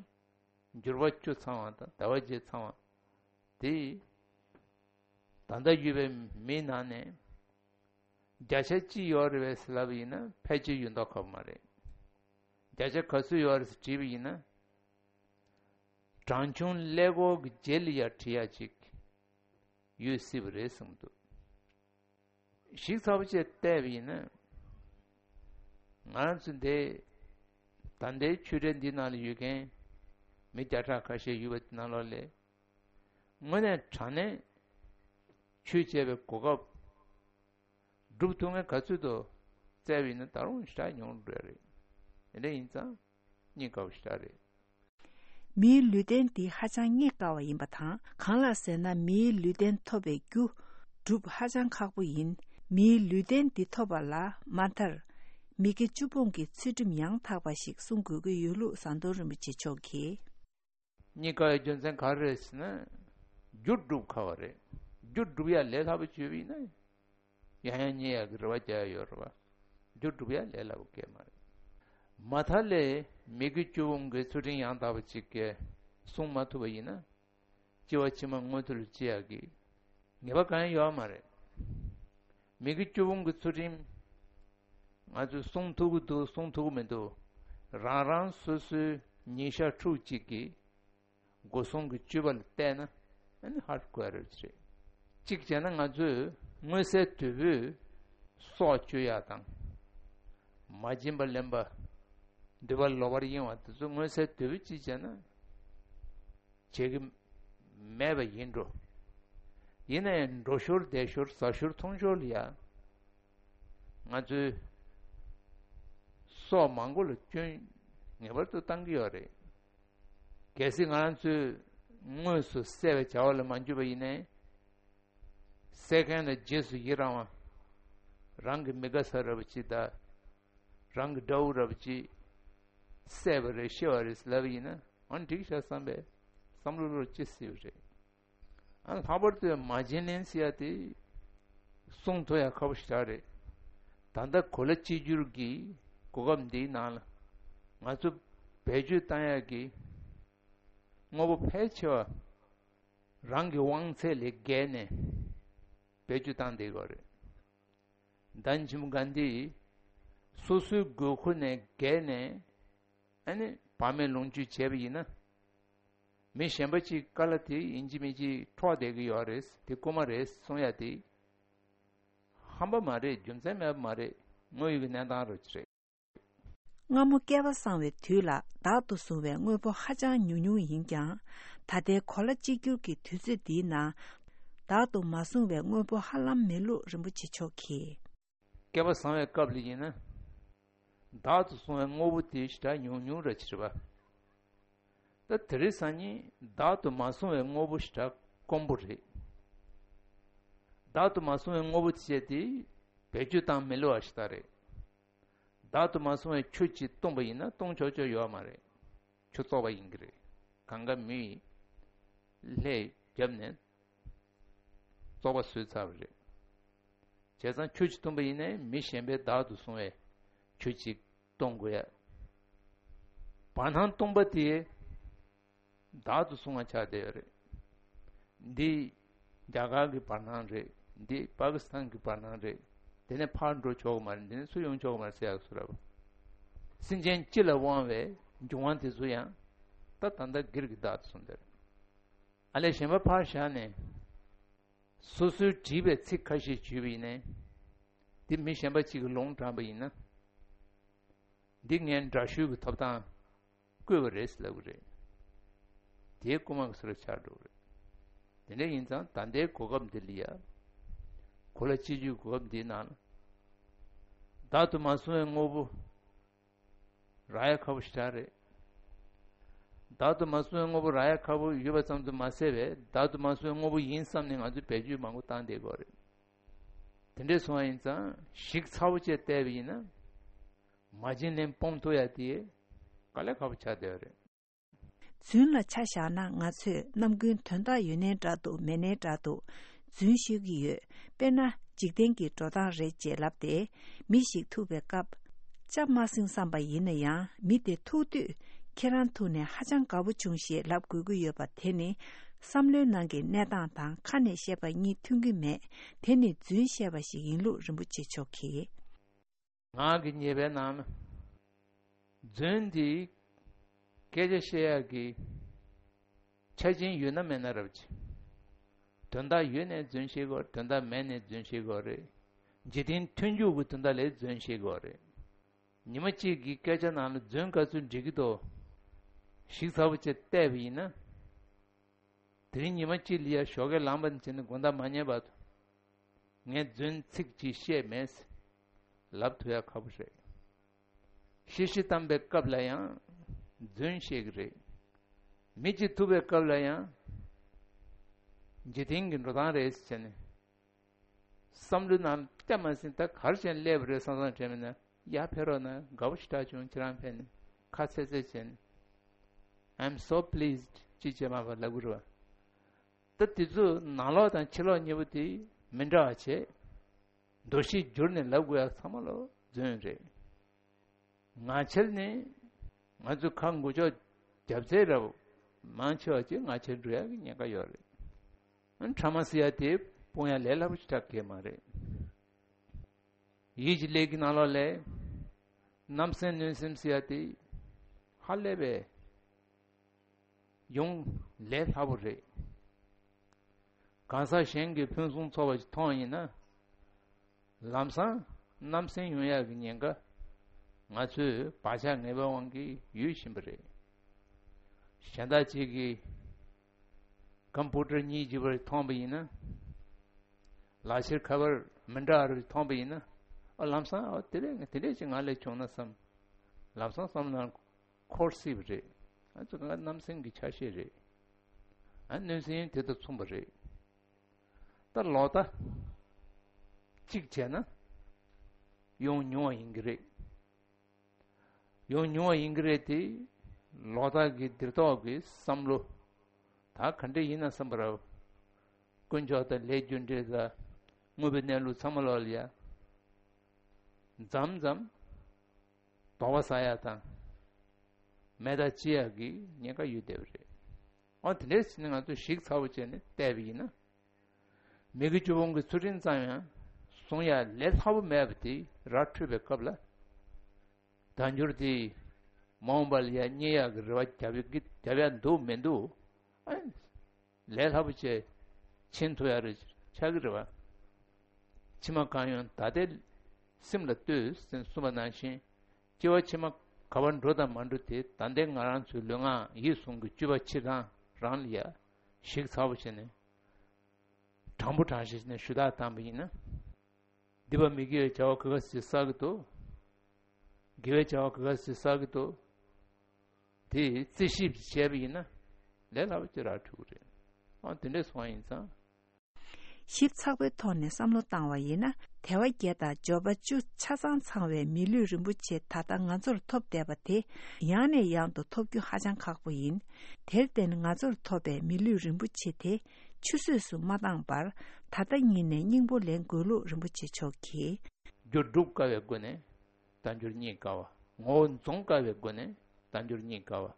འབྱོར་བ་བཅུ་ཚང་བ་དང་ཟླ་བ་བརྒྱད་ཚང་བ་དེ། ད་ལྟ་ཡོད་པའི་མིའི་ནང་ནས་བརྒྱ་ཆ་གཅིག་ཡོད་རེད་པས་ཟེར་ལབ་པ་ཡིན་ན་ཕལ་ཆེར་ཡོད་མདོག་ཁ་པོ་མ་རེད། བརྒྱ་ཆ་ག་ཚོད་ཡོད་རེད་ཟེར་དྲིས་པ་ཡིན་ན། གྲངས་ཆུང་ཀླད་ཀོར་གྱི་རྗེས་ལ་ཡར་བྲིས་ཡ་ཅིག་ཡོད་སྲིད་པ་རེད་བསམ་གྱི་འདུག། ཞིབ་ཚགས་པོ་བྱས་བལྟས་པ་ཡིན་ན། ང་རང་ཚོ་འདི་ད་ལྟའི་ཆོས་འབྲེལ་འདི་ནང་ལ་ཡོད་མཁན་མི་བརྒྱ་ཕྲག་ཁ་ཤས་ཡོད་པ་དེ་ནང་ལོགས་ལས། དངོས་གནས་དྲང་གནས་ཆོས་བྱས་པའི་གོ་སྐབས་སྒྲུབ་ཐུབ་མཁན་ག་ཚོད་འདུག་བཙལ་བ་ཡིན་ན་ད་རུང་ཞེ་དྲག་ཉུང་འགྲོ་ཡ་རེད། དེ་འདྲ་ཡིན་ཙང་རྙེད་དཀའ་བ་ཞེ་དྲག་རེད། མིའི་ལུས་རྟེན་འདི་ཧ་ཅང་རྙེད་དཀའ་བ་ཡིན་པ་དང་། གང་ལགས་ཟེར་ན། མིའི་ལུས་རྟེན་ཐོབ་པའི་རྒྱུ་སྒྲུབ་ཧ་ཅང་ཁག་པོ་ཡིན། མིའི་ལུས་རྟེན་འདི་ཐོབ་པ་ལ་མ་མཐར་མི་དགེ་བཅུ་སྤོང་གི་ཚུལ་ཁྲིམས་ཡང་དག་པ་ཞིག་བསྲུང་དགོས་ཀྱི་ཡོད་ལུགས་ཟམ་གདོང་རིན་པོ་ཆེ་མཆོག་གིས། རྙེད་དཀའ་བའི་རྒྱུ་མཚན་ག་རེ་རེད་ཟེར་ན། རྒྱུ་སྒྲུབ་ཁག་པ་རེད། རྒྱུ་སྒྲུབ་ཡ་ལས་སླ་པོ་བྱས་པ་ཡིན་ན། ཡང་ཡང་རྙེད་ཡག་གི་རེ་བ་རྒྱག་ཡ་ཡོད་རེད་བ། རྒྱུ་སྒྲུབ་ཡ་ལས་སླ་པོ་གང་ཡང་མ་རེད། མ་མཐའ་ལས་མི་དགེ་བཅུ་སྤོང་གི་ཚུལ་ཁྲིམས་ཡང་དག་པ་ཅིག་གིས་བསྲུང་མ་ཐུབ་པ་ཡིན་ན། སྐྱེ་བ་ཕྱི་མ་མངོན་མཐོ་ལ་སྐྱེ་ཡག་གི་ངེས་པ་གང་ཡང་ཡོད་མ་རེད། མི་དགེ་བཅུ་སྤོང་གི་ཚུལ་ཁྲིམས་ང་ཚོས་བསྲུང་ཐུབ་ཀྱི་འདུག་བསྲུང་ཐུབ་ཀྱི་མི་འདུག། རང་རང་སོ་སོའི་ཉིན་ཞག་ཕྲུགས་གཅིག་གི་སྒོ་སྲུང་གི་སྤྱོད་པ་ལ་བལྟས་ན་ཨ་ནི་ཧ་གོ་ཡ་རེད་བྱེད། གཅིག་བྱས་ན་ང་ཚོས་མངོན་གསལ་དོད་པོས་སྲོག་གཅོད་ཡ་དང་། མ་བྱིན་པ་ལེན་པ། འདོད་པ་ལོག་པར་གཡེང་བ་དེ་ཚོ་མངོན་གསལ་དོད་པོས་གཅིག་བྱས་ན་བྱེད་ཀྱི་མེད་པ་ཡིན་འགྲོ། ཡིན་ན་ཡང་འགྲོ་ཞོར་བསྡད་ཞོར་ཟ་ཞོར་འཐུང་ཞོར་ལ་ཡ། ང་ཚོའི་སྲོག་མང་པོ་ལ་སྐྱོན་ངེས་པར་དུ་བཏང་གི་ཡོད་རེད། གལ་སྲིད་ང་རང་ཚོས་དངོས་སུ་བསད་པའི་བྱ་བ་ལ་མ་འཇུག་པ་ཡིན་ནའི། བསད་མཁན་ལ་རྗེས་སུ་ཡི་རང་བ། རང་གི་མི་དགའ་ས་འདྲ་པོ་ཅིག་དང་། རང་གི་དགྲ་བོ་འདྲ་པོ་ཅིག་བསད་པ་རེད་ཤི་བ་རེད་ལབ་པ་ཡིན་ན་ཨང་འགྲིག་ཤག་བསམ་པའི་བསམ་བློ་ལོར་ཅི་སྲིད་པ་རེད། ཨ་ལྷག་པར་དུ་མ་བྱིན་ལེན་ཟེར་ཡ་དེ་བསྲུང་ཐུབ་ཡ་ཁག་པོ་ཞེ་དྲག་རེད། ད་ལྟ་གོ་ལ་གཅིག་གྱུར་གྱི་གོ་སྐབས་འདིའི་ནང་ལ་ང་ཚོ་བེད་སྤྱོད་བཏང་ཡ་གི་དངོས་པོ་ཕལ་ཆེ་བ་རང་གི་དབང་ཚད་ལས་བརྒལ་ནས་བེད་སྤྱོད་བཏང་བསྡད་ཡོད་རེད། ཟླ་ཉིན་ཆེན་མོ་ག་འདི་སོ་སོའི་དགོས་མཁོ་ནས་བརྒལ་ནས་ཨ་ནི་བག་མེད་ལོངས་སྤྱོད་བྱས་པ་ཡིན་ན། མི་གཞན་པ་གཅིག་དཀའ་ལས་དེ་ཡིན་གཅིག་མིན་གཅིག་འཕྲོག་བསྡད་ཀྱི་ཡོད་རེད། དེ་རྐུ་མ་རེད་གསུང་ཡ་དེ་ཧམ་པ་མ་རེད། རྒྱུ་མཚན་མེད་པ་མ་རེད། དངོས་ཡོད་ཀྱི་གནས་སྟངས་རེད། སྔ་མོ་བསྐལ་པ་བཟང་བའི་དུས་ལ་བདག་ཏུ་བཟུང་བའི་དངོས་པོ་ཧ་ཅང་ཉུང་ཉུང་ཡིན་ཀྱང་། ད་ལྟའི་གོ་ལ་གཅིག་གྱུར་གྱི་དུས་ཚོད་འདིའི་ནང་བདག་ཏུ་མ་བཟུང་བའི་དངོས་པོ་ཧ་ལམ་མེད་ལུགས་རིན་པོ་ཆེ་མཆོག་གིས། བསྐལ་པ་བཟང་བའི་སྐབས་ལ་ཡིན་ན། བདག་ཏུ་བཟུང་བའི་དངོས་པོ་དེ་ཞེ་དྲག་ཉུང་ཉུང་ར་ཕྱིར་བ། ད་དེ་རིང་སང་ཉིན་བདག་ཏུ་མ་བཟུང་བའི་དངོས་པོ་ཞེ་དྲག་དཀོན་པོ་རེད། བདག་ཏུ་མ་བཟུང་བའི་དངོས་པོ་དེ་བྱས་ཏེ་བེད་སྤྱོད་བཏང་མི་ལོ་བ་ཞིག་ད་རེད། བདག་ཏུ་མ་བཟུང་བའི་ཆུ་ཅིག་བཏུང་པ་ཡིན་ན་བཏུང་ཆོག་ཆོག་ཡོད་མ་རེད། ཆུ་བཙོག་པ་ཡིན་གྱི་རེད། གང་ག་མིས་ལྷས་བརྒྱབ་ནས་བཙོག་པ་བཟོས་ཚར་བ་རེད། བྱས་ཙང་ཆུ་ཅིག་བཏུང་པ་ཡིན་ནའི་མི་གཞན་པས་བདག་ཏུ་བཟུང་བའི་ ཆུ་གཅིག་གཏོང་དགོས་ཡ། བར་སྣང་སྟོང་པ་དེ་བདག་ཏུ་བཟུང་བ་ཆགས་བསྡད་ཡོད་རེད། འདི་རྒྱ་གར་གྱི་བར་སྣང་རེད། འདི་པ་ཀི་སི་ཐན་གྱི་བར་སྣང་རེད། དེ་ནས་ཕར་འགྲོ་ཆོག་གི་མ་རེད། འདི་ནས་ཚུར་ཡོང་ཆོག་གི་མ་རེད་ཟེར་ཡག་སུ་རབ། སེམས་ཅན་སྤྱི་ལ་དབང་བའི་འབྱུང་བ་དེ་ཚོ་ཡང་ད་ད་ལྟ་སྒེར་གྱི་བདག་ཏུ་བཟུང་བསྡད་རེད། ཨ་ལས་གཞན་པ་ཕར་བཞག་ནས། སོ་སོའི་བྲིས་པའི་ཚིག་ཁ་ཤས་བརྗོད་པ་ཡིན་ནའི། འདི་མི་གཞན་པ་གཅིག་གིས་ལུང་དྲངས་པ་ཡིན་ན། འདི་ངས་འདྲ་བཤུས་ཀྱི་ཐོབ་ཐང་བཀོད་པ་རེད་ཟེར་ལབ་ཀྱི་རེད། དེའི་རྐུ་མ་གི་སུ་ར་ཆགས་འགྲོ་གི་རེད། དེ་འདྲ་ཡིན་ཙང་ད་ལྟའི་གོ་སྐབས་འདི་ལ་ཡ། གོ་ལ་སྤྱི་སྤྱོད་གོ་སྐབས་འདིའི་ནང་ལ། བདག་ཏུ་མ་བཟུང་བའི་དངོས་པོ། རག་ཡ་ཁག་པོ་ཞེ་དྲག་རེད། བདག་ཏུ་མ་བཟུང་བའི་དངོས་པོ་རག་ཡ་ཁག་པོ་ཡོད་པ་ཙམ་དུ་མ་ཟད་པས། བདག་ཏུ་མ་བཟུང་བའི་དངོས་པོ་ཡིན་བསམ་ནས་ང་ཚོས་བེད་སྤྱོད་མང་པོ་བཏང་བསྡད་ཀྱི་ཡོད་རེད། དེ་འདྲས་སོང་བ་ཡིན་ཙང་ཞིབ་ཚགས་པོ་བྱས་བལྟས་པ་ཡིན་ན། མ་བྱིན་ལེན་སྤོང་ཐུབ་ཡ་དེ་དཀའ་ལས་ཁག་པོ་ཆགས་བསྡད་ཡོད་རེད། རྫུན་ལ་ཆ་བཞག་ན། ང་ཚོས་ནམ་རྒྱུན་དོན་དག་ཡོད་ནའི་འདྲ་འདུག་མེད་ནའི་འདྲ་འདུག་རྫུན་ཤོད་ཀྱི་ཡོད། དཔེར་ན། འཇིག་རྟེན་གྱི་འགྲོ་སྟངས་རེད་ཅེས་ལབ་སྟེ། མི་ཞིག་ཐུག་པའི་སྐབས། ལྕགས་མ་ཟིན་བསམ་པ་ཡིན་ན་ཡང་། མི་དེ་ཐུག་དུས་ཁྱེད་རང་ཐུག་ནས་ཧ་ཅང་དགའ་པོ་བྱུང་ཞེས་ལབ་དགོས་ཀྱི་ཡོད་པ་དེ་ནི། བསམ་བློའི་ནང་གི་གནས་སྟངས་དང་ཁ་ནས་བཤད་པ་གཉིས་མཐུན་གྱི་མེད། དེ་ནི་རྫུན་བཤད་པ་ཞིག་ཡིན་ལུགས་རིན་པོ་ཆེ་མཆོག་གིས། ངག་གི་ཉེས་པའི་ནང་ན། རྫུན་འདི་སྐད་ཆ་བཤད་ཡག་གི་ཆ་རྐྱེན་ཡོད་ན་མེད་ན་རབ་ཅི། དོན་དག་ཡོད་ནའི་རྫུན་བཤད་དགོས། དོན་དག་མེད་ནའི་རྫུན་བཤད་དགོས་རེད། འཇིག་རྟེན་མཐུན་འཇུག་གི་དོན་དག་ལའི་རྫུན་བཤད་དགོས་རེད། ཉི་མ་གཅིག་གི་སྐད་ཆ་ནང་ལ་རྫུན་ག་ཚོད་འགྲིག་གི་འདུག་ཞིབ་ཚགས་པོ་བྱས་བལྟས་པ་ཡིན་ན། དེ་རིང་ཉི་མ་གཅིག་ལ་ཡ་ཞོགས་ཀས་ལངས་པ་ནས་བྱས་ནས་དགོང་དག་མ་ཉལ་བར་དུ། ངས་རྫུན་ཚིག་གཅིག་བཤད་མེད་ཟེར་ལབ་ཐུབ་ཡ་ཁག་པོ་རེད། ཤི་ཤི་བཏང་པའི་སྐབས་ལ་ཡང་རྫུན་བཤད་ཀྱི་རེད། མི་གཅིག་ཐུག་པའི་སྐབས་ལ་ཡང་། འཇིག་རྟེན་གྱི་འགྲོ་སྟངས་རེད་ཟེར་ནས། བསམ་བློའི་ནང་སྐྱ་མ་ཟིན་ད་གར་ཅན་སླེབས་རེད་བསམ་བསམ་དྲན་མིན་ན། ཡར་ཕེབས་རོགས་གནང་། དགའ་པོ་ཞེ་དྲག་བྱུང་། ཁྱེད་རང་ཕེབས་ནས་ཁ་ཚེ་ཚེ་བྱས་ནས། I'm so pleased ཅི་བྱེད་མ་པ་ལབ་དགོས་རེད་བ། ད་དེ་ཚོ་ནང་ལོགས་དང་ཕྱི་ལོགས་གཉིས་པོ་དེ་མི་འདྲ་བ་བྱས། འདུ་ཤེས་བསྒྱུར་ནས་ལབ་དགོས་ཡ་ཚང་མ་ལོ་རྫུན་རེད། ངག་འཁྱལ་ནི། ང་ཚོས་ཁ་འགུལ་ཕྱོགས་རྒྱབ་ཚད་རབ་མང་ཆེ་བ་ཅིག་ངག་འཁྱལ་འགྲོ་ཡ་གི་ཉེན་ཁ་ཡོད་རེད། ཨ་ཕྲ་མ་ཟེར་ཡ་དེ་སྤོང་ཡ་ལས་སླ་པོ་ཞིག་ཆགས་ཀྱི་མ་རེད། ཡིད་ཀྱི་ལས་ཀྱི་ནང་ལོགས་ལས། རྣམ་སེམས་གནོད་སེམས་ཟེར་ཡ་དེ་ཧ་ལས་པའི་ཡོང་ལས་སླ་པོ་རེད། གང་ཟག་གཞན་གྱིས་ཕུན་སུམ་ཚོགས་པ་ཞིག་མཐོང་ཡིན་ན། ལམ་སང་རྣམ་སེམས་ཡོང་ཡག་གི་ཉེན་ཁ་ང་ཚོས་བག་ཆགས་ངན་པའི་དབང་གིས་ཡོད་བཞིན་པ་རེད། གཞན་དག་ཅིག་གིས་ཀམ་པུ་ཊར་གཉིས་བརྗེ་བར་མཐོང་པ་ཡིན་ན། ལག་ཁྱེར་ཁ་པར་མི་འདྲ་བ་རེ་མཐོང་པ་ཡིན་ན། ཨ་ལམ་སང་ཨ་དེ་འདྲས་དེ་འདྲས་ཅིག་ང་ལ་བྱུང་ན་བསམ། ལམ་སང་བསམ་ན་འཁོར་སྲིད་པ་རེད། ང་ཚོ་ང་རྣམ་སེམས་ཀྱི་ཆ་ཤས་རེད། ཨ་གནོད་སེམས་དེ་དང་མཚུངས་པ་རེད། ད་ལོག་ལྟ་གཅིག་བྱས་ན་ཡོང་ཉུང་བ་ཡིན་གྱི་རེད། ཡོང་ཉུང་བ་ཡིན་གྱི་རེད་དེ། ལོག་ལྟ་གི་འདིར་ཐོག་གི་བསམ་བློ་ད་ག་འདྲ་ཡིན་ན་བསམ་པ་རེད། དཀོན་མཆོག་དང་ལས་རྒྱུ་འབྲས་དང་དངོས་པོའི་གནས་ལུགས་ཚང་མ་ལོག་ལ་ཡ། མཚམས་མཚམས་དོགས་པ་ཟ་ཡ་དང་། མེད་ཐག་བཅད་ཡ་གི་ཉེན་ཁ་ཡོད་བསྡད་པ་རེད། འོ་དེ་འདྲས་ཟེར་ནས་ང་ཚོས་ཞིབ་ཚགས་པོ་བྱས་ནས་བལྟས་པ་ཡིན་ན། མི་དགེ་བཅུ་སྤོང་གི་ཚུལ་ཁྲིམས་ཙམ་ཡང་སྲུང་ཡ་ལས་སླ་པོ་མེད་པ་དེ་ར་འཕྲོད་པའི་སྐབས་ལ། བདག་འགྱུར་དེ་མ་འོངས་པ་ལ་ཡ་རྙེད་ཡག་གི་རེ་བ་རྒྱབ་ཡ་རྒྱབ་ཡ་འདུག་མི་འདུག་ཨ། ལས་སླ་པོ་བྱས་ཕྱིན་ཐུབ་ཡ་རེ་ཆགས་ཀྱི་རེད་བ། ཕྱི་མ་གང་ཡོང་ད་ལྟའི་སེམས་ལ་ལྟོས་ཟེར་གསུངས་པ་ནང་བཞིན། སྐྱེ་བ་ཕྱི་མ་ག་པར་འགྲོ་དང་མ་འགྲོ་དེ་ད་ལྟའི་ང་རང་ཚོའི་ལུས་ངག་ཡིད་གསུམ་གྱི་སྤྱོད་པ་ཕྱིར་རང་རང་ལ་ཡ་ཞིབ་ཚགས་པོ་བྱས་ནས། དྲང་པོ་དྲང་བཞིན་ནས་ཞུ་དག་བཏང་པ་ཡིན་ན། སྡིག་པ་མི་དགེ་བའི་བྱ་བ་ག་ག་ཟིག་བསགས་ཀྱི་འདུག་དགེ་བའི་བྱ་བ་ག་ག་ཟིག་བསགས་ཀྱི་འདུག་དེ་རྩིས་ཞིབ་བྱས་པ་ཡིན་ན་ལས་སླ་པོ་ཅིག་རག་ཐུབ་ཀྱི་རེད། ཨ་དེ་འདྲས་སོང་བ་ཡིན་ཙང་། ཞིབ་ཚགས་པོའི་ཐོག་ནས་བསམ་བློ་བཏང་བ་ཡིན་ན། དལ་བ་བརྒྱད་དང་འབྱོར་པ་བཅུ་ཆ་ཚང་ཚང་བའི་མི་ལུས་རིན་པོ་ཆེ་ད་ལྟ་ང་ཚོར་ཐོབ་བསྡད་པ་དེ་ཡང་ནས་ཡང་དུ་ཐོབ་རྒྱུ་ཧ་ཅང་ཁག་པོ་ཡིན། དེར་བརྟེན་ང་ཚོར་ཐོབ་པའི་མི་ལུས་རིན་པོ་ཆེ་དེ་ཆུད་ཟོས་སུ་མ་བཏང་བར་ད་ལྟ་ཉིད་ནས་སྙིང་པོ་ལེན་དགོས་ལུགས་རིན་པོ་ཆེ་མཆོག་གིས། རྒྱུ་སྒྲུབ་དཀའ་བའི་སྒོ་ནས། དལ་འབྱོར་རྙེད་དཀའ་བ། ངོ་བོ་འཛོམས་དཀའ་བའི་སྒོ་ནས་དལ་འབྱོར་རྙེད་དཀའ་བ།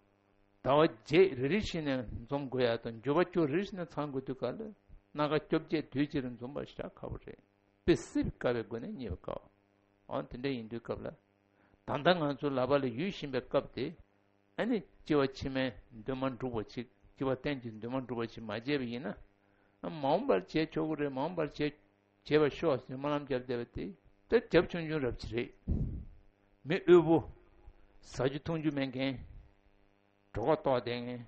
ཟླ་བ་བརྒྱད་རེ་རེ་བཞིན་ནས་འཛོམས་དགོས་ཡ་དང་འགྱུར་བ་བཅུ་རེ་རེ་བཞིན་ནས་ཚང་དགོས་དུས་ག་ལ་སྣ་ཁ་བཅོ་བརྒྱད་དུས་གཅིག་རེ་འཛོམས་པ་ཞེ་དྲག་ཁག་པོ་རེད། དཔེ་སྲིད་པའི་དཀའ་བའི་སྒོ་ནས་རྙེད་པ་དཀའ་བ། འོ་དེ་འདྲ་ཡིན་དུས་སྐབས་ལ། ད་ལྟ་ང་ཚོ་ལག་པ་ལ་ཡོད་བཞིན་པའི་སྐབས་དེ། ཨ་ནི་སྐྱེ་བ་ཕྱི་མའི་འདུན་མ་འགྲུབ་པ་ཅིག་སྐྱེ་བ་གཏན་གྱི་འདུན་མ་འགྲུབ་པ་ཅིག་མ་བྱས་པ་ཡིན་ན། ཨ་མ་འོངས་པར་བྱས་ཆོག་གི་རེད། མ་འོངས་པར་བྱས་བྱས་པ་ཤོག་ཟེར་སྨོན་ལམ་བརྒྱབ་བསྡད་པ་དེ་ད་རྒྱབ་ཆུང་ཆུང་རབ་ཅིག་རེད། མི་དབུལ་པོ། ཟ་རྒྱུ་འཐུང་རྒྱུ་མེད་མཁན། གྲོད་ཁོག་ལྟོགས་བསྡད་མཁན།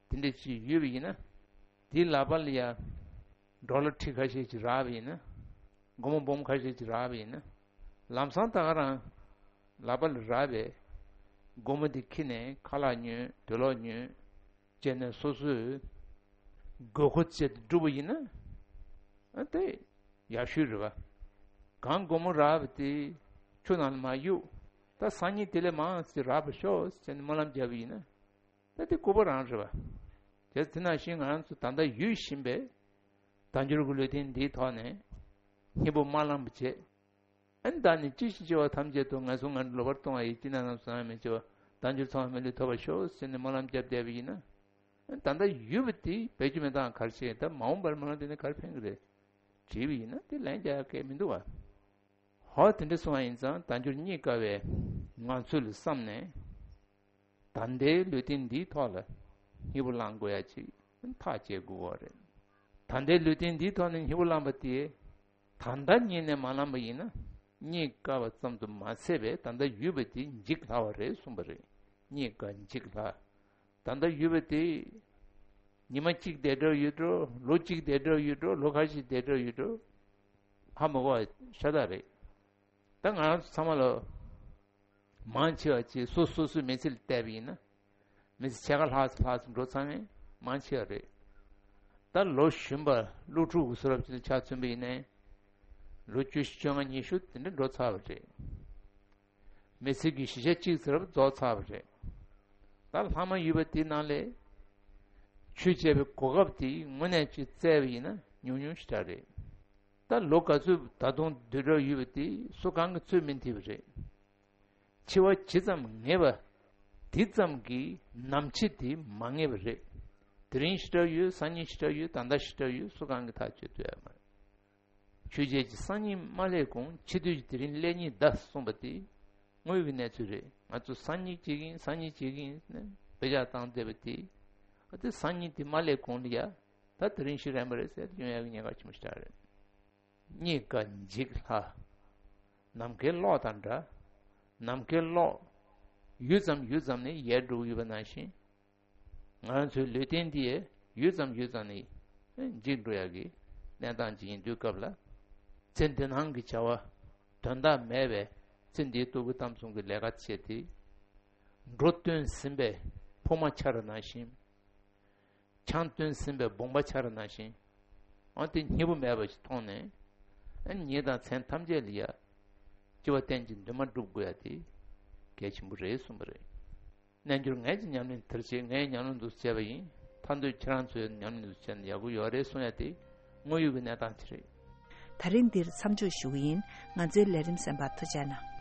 དེ་འདྲ་ཅིག་ཡོད་པ་ཡིན་ན། དེའི་ལག་པ་ལ་ཡ། ཌོ་ལར་ཁྲི་ཁ་ཤས་ཅིག་རག་པ་ཡིན་ན། སྒོར་མོ་འབུམ་ཁ་ཤས་ཅིག་རག་པ་ཡིན་ན། ལམ་སང་ད་ག་རང་། ལག་པ་ལ་རག་པའི། སྒོར་མོ་དེ་ཁྱེར་ནས་ཁ་ལག་ཉོས་དུག་ལོག་ཉོས། བྱས་ནས་སོ་སོའི་དགོས་མཁོ་བཅས་དེ་བསྒྲུབས་པ་ཡིན་ན། ཨ་དེ་ཡག་ཤོས་རེད་བ། གང་སྒོར་མོ་རག་པ་དེ་ཆུ་ནང་ལ་མར་གཡུག་ད་སང་ཉིན་དེ་ལས་མང་ཙམ་རག་པ་ཤོག་ཟེར་ནས་སྨོན་ལམ་བརྒྱབ་པ་ཡིན་ན། ད་དེ་སྐུད་པ་རང་རེད་བ། བྱས་ཙང་དེ་ནང་བཞིན་ང་རང་ཚོ་ད་ལྟ་ཡོད་བཞིན་པའི་དལ་འབྱོར་གྱི་ལུས་རྟེན་འདིའི་ཐོག་ནས་སྙིང་པོ་མ་བླངས་པ་བྱས། ཨ་ནི་བདག་ནི་ཅི་ཞིག་བྱས་པ་ཐམས་ཅད་དུ་ངན་སོང་ངན་འགྲོར་ལོག་པར་ལྟུང་བ་ཡི། ཅི་ནས་ནམ་སོང་ཡང་མི་བྱེད་པ། དལ་འབྱོར་ཚང་བ་མི་ལུས་ཐོབ་པར་ཤོག་ཟེར་ནས་སྨོན་ལམ་བརྒྱབ་བསྡད་པ་ཡིན་ན། ཨ་ནི་ད་ལྟ་ཡོད་པ་དེ་བེད་སྤྱོད་མི་བཏང་ག་རེ་བྱེད། ད་མ་འོངས་པར་སྨོན་ལམ་དེ་ནི་ག་རེ་ཕན་གི་རེད། བྲིས་པ་ཡིན་ན་དེ་ལན་རྒྱག་ཡག་གང་ཡང་མི་འདུག་བ། ཧོ་དེ་འདྲ་སོང་བ་ཡིན་ཙང་དལ་འབྱོར་རྙེད་དཀའ་བའི་ངང་ཚུལ་ལ་བསམ་ནས། ད་ལྟའི་ལུས་རྟེན་འདིའི་ཐོག་ལ་སྙིང་པོ་བླང་དགོས་ཡ་ཅིག་ཐག་བཅད་དགོས་པ་རེད། ད་ལྟའི་ལུས་རྟེན་འདིའི་ཐོག་ནས་སྙིང་པོ་བླངས་པ་དེ། ད་ལྟ་ཉིད་ནས་མ་བླངས་པ་ཡིན་ན། རྙེད་དཀའ་བ་ཙམ་དུ་མ་ཟད་པའི་ད་ལྟ་ཡོད་པ་དེ་འཇིག་སླ་བ་རེད་གསུངས་པ་རེད། རྙེད་དཀའ་འཇིག་སླ། ད་ལྟ་ཡོད་པ་དེ། ཉི་མ་གཅིག་བསྡད་འགྲོ་ཡོད་འགྲོ། ལོ་གཅིག་བསྡད་འགྲོ་ཡོད་འགྲོ། ལོ་ཁ་ཤས་བསྡད་འགྲོ་ཡོད་འགྲོ། ཧ་མ་གོ་བ་ཤ་སྟག་རེད། ད་ང་རང་ཚོ་ཚང་མ་ལ། མང་ཆེ་བ་ཅིག་སོ་སོ་སོའི་མི་ཚེ་ལ་བལྟས་པ་ཡིན་ན། མི་ཚེ་ཕྱེད་ཀ་ལྷག་ཙམ་ལྷག་ཙམ་འགྲོ་ཚར་མཁན་མང་ཆེ་བ་རེད། ད་ལོ་གཞོན་པ་སློབ་ཕྲུག་གི་བཟོ་འདྲ་ཅིག་ལ་ཆ་མཚོན་པ་ཡིན་ནའི། ལོ་བཅུ་བཞི་བཅོ་ལྔ་ཉི་ཤུ་དེ་འདྲ་འགྲོ་ཚར་བ་རེད། མི་ཚེ་གི་བཞི་ཆ་གཅིག་ཙམ་རྒྱབ་རྫོགས་ཚར་བ་རེད། ད་ལྷག་མ་ཡོད་པ་དེའི་ནང་ལས། ཆོས་བྱེད་པའི་གོ་སྐབས་དེ་དངོས་གནས་ཅིག་བཙལ་བ་ཡིན་ན་ཉུང་ཉུང་ཞེ་དྲག་རེད། ད་ལོ་ག་ཚོད་ད་དུང་སྡོད་གྲབས་ཡོད་པ་དེ་སུ་གང་གིས་ཚོད་མི་ཐིག་པ་རེད། འཆི་བ་ཇི་ཙམ་ངེས་པ། དེ་ཙམ་གྱིས་ནམ་འཆི་དེ་མ་ངེས་པ་རེད། དེ་རིང་ཞེ་དྲག་ཡོད། སང་ཉིན་ཞེ་དྲག་ཡོད། ད་ལྟ་ཞེ་དྲག་ཡོད། སུ་གང་གིས་ཐག་གཅོད་ཐུབ་ཡ་མ་རེད། ཆོས་བྱེད་ཀྱི་སང་ཉིན་མ་སླེབས་གོང་འཆི་དུས་ཀྱི་དེ་རིང་སླེབས་ཉིན་གདའ་གསུངས་པ་དེ་དངོས་ཡོད་ཀྱི་གནས་ཚུལ་རེད། ང་ཚོ་སང་ཉིན་བྱེད་ཀྱི་ཡིན། སང་ཉིན་བྱེད་ཀྱི་ཡིན་ཟེར་ནས་དཔེ་ཆ་བཏང་བསྡད་པ་དེ། ཨ་དེ་སང་ཉིན་དེ་མ་སླེབས་གོང་ལ་ཡ། ད་དེ་རིང་ཤི་རན་པ་རེད་ཟེར་ཡོང་ཡག་གི་ཉེན་ཁ་ཆེན་པོ་ཞིག་རེད། རྙེད་དཀའ་འཇིག་སླ། ནམ་མཁའི་གློག་དང་འདྲ། ནམ་མཁའི་གློག་ཡུད་ཙམ་ཡུད་ཙམ་ནས་ཡལ་འགྲོ་གི་ཡོད་པ་ནང་བཞིན། ང་རང་ཚོའི་ལུས་རྟེན་འདི་ཡང་ཡུད་ཙམ་ཡུད་ཙམ་ནས་འཇིག་འགྲོ་ཡག་གི་གནས་སྟངས་ཅིག་ཡིན་དུས་སྐབས་ལ། ཚེ་འདི་སྣང་གི་བྱ་བ་དོན་དག་མེད་པའི་ཚེ་འདིའི་སྟུག་པོ་གཏམ་གསུམ་གྱི་ལས་ཀ་བྱས་ཏེ། འགྲོ་བཏོན་ཟིན་པའི་ཕུང་པོ་ཆར་ནང་བཞིན། ཆང་བཏོན་ཟིན་པའི་བུང་བ་ཆར་ནང་བཞིན། ཨ་དེ་སྙིང་པོ་མེད་པ་ཞིག་མཐོང་ནས། ཨ་ཉིད་དང་མཚན་ཐམས་ཅད་ལ་ཡ། སྐྱེ་བ་གཏན་གྱི་འདུན་མ་སྒྲུབ་དགོས་ཡ་དེ་གལ་ཆེན་པོ་རེད་གསུངས་པ་རེད། རྣལ་འབྱོར་ངས་ཀྱང་ཉམས་ལེན་དེར་བྱེད། ངས་ཉམས་ལེན་འདུག་བྱས་པ་ཡིན། ཐར་འདོད་ཁྱེད་རང་ཚོས་ཉམས་ལེན་འདུག་བྱས་ན་ཡག་པོ་ཡོད་རེད་གསུང་ཡ་དེ་དངོས་ཡོད་ཀྱི་གནས་སྟངས་དེ་རེད། ད་རིང་འདིར་མཚམས་འཇོག་ཞུ་གི་ཡིན། ང་ཚོའི་ལས་རིམ་གསན་པར་ཐུགས་རྗེ་གནང་།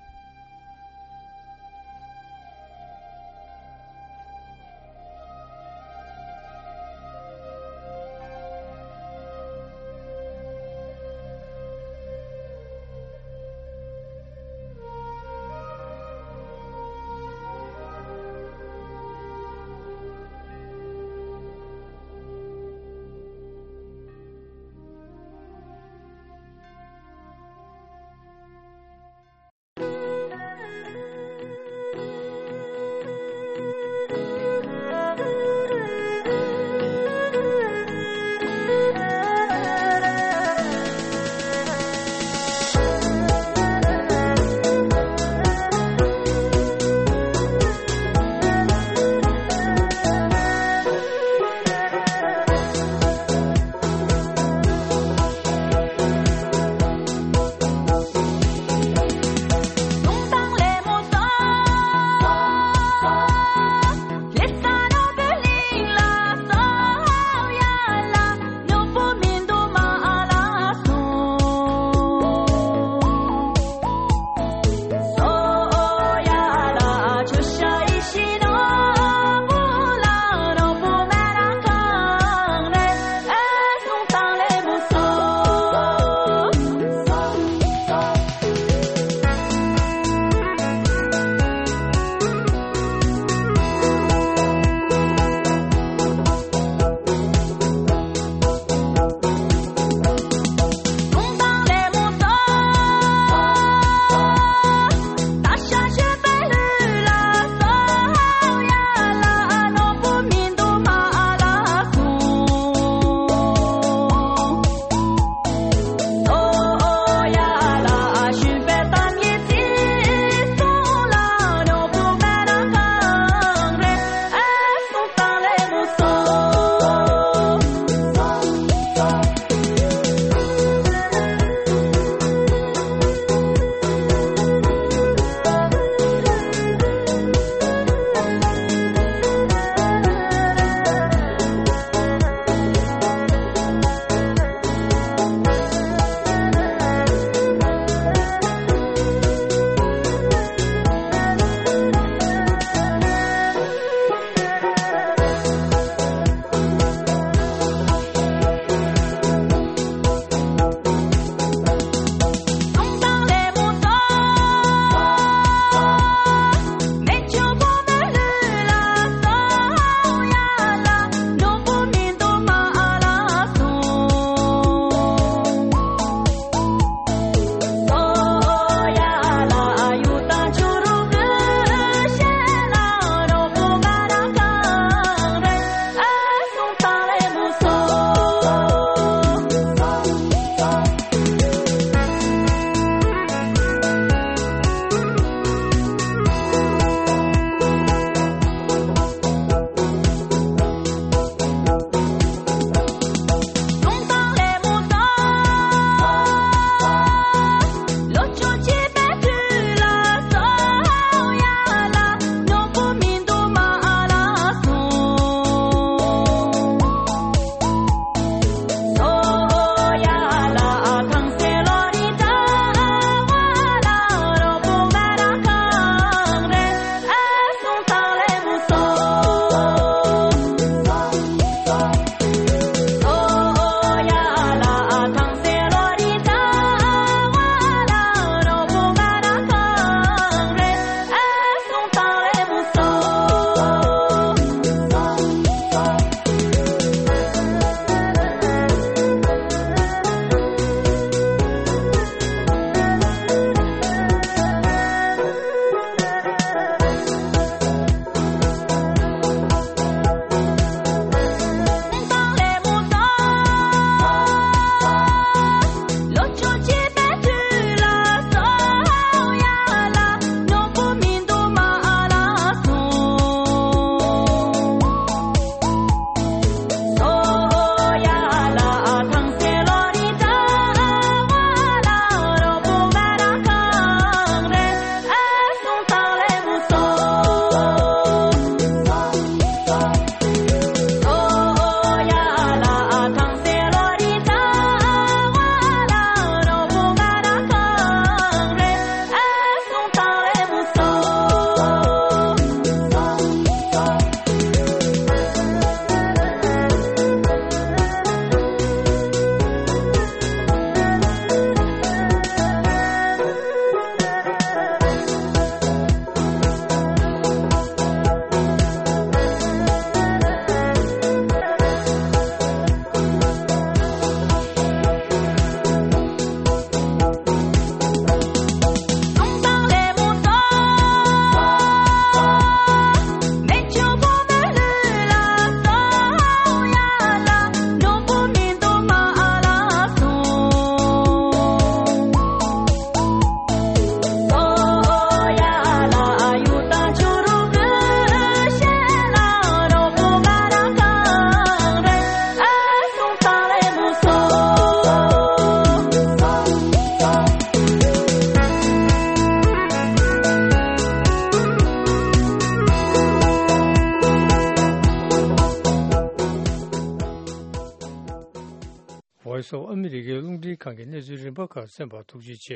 ཁང་གི་གནས་ཚུལ་རིམ་པ་ཁག་གསན་པར་ཐུགས་རྗེ་ཆེ།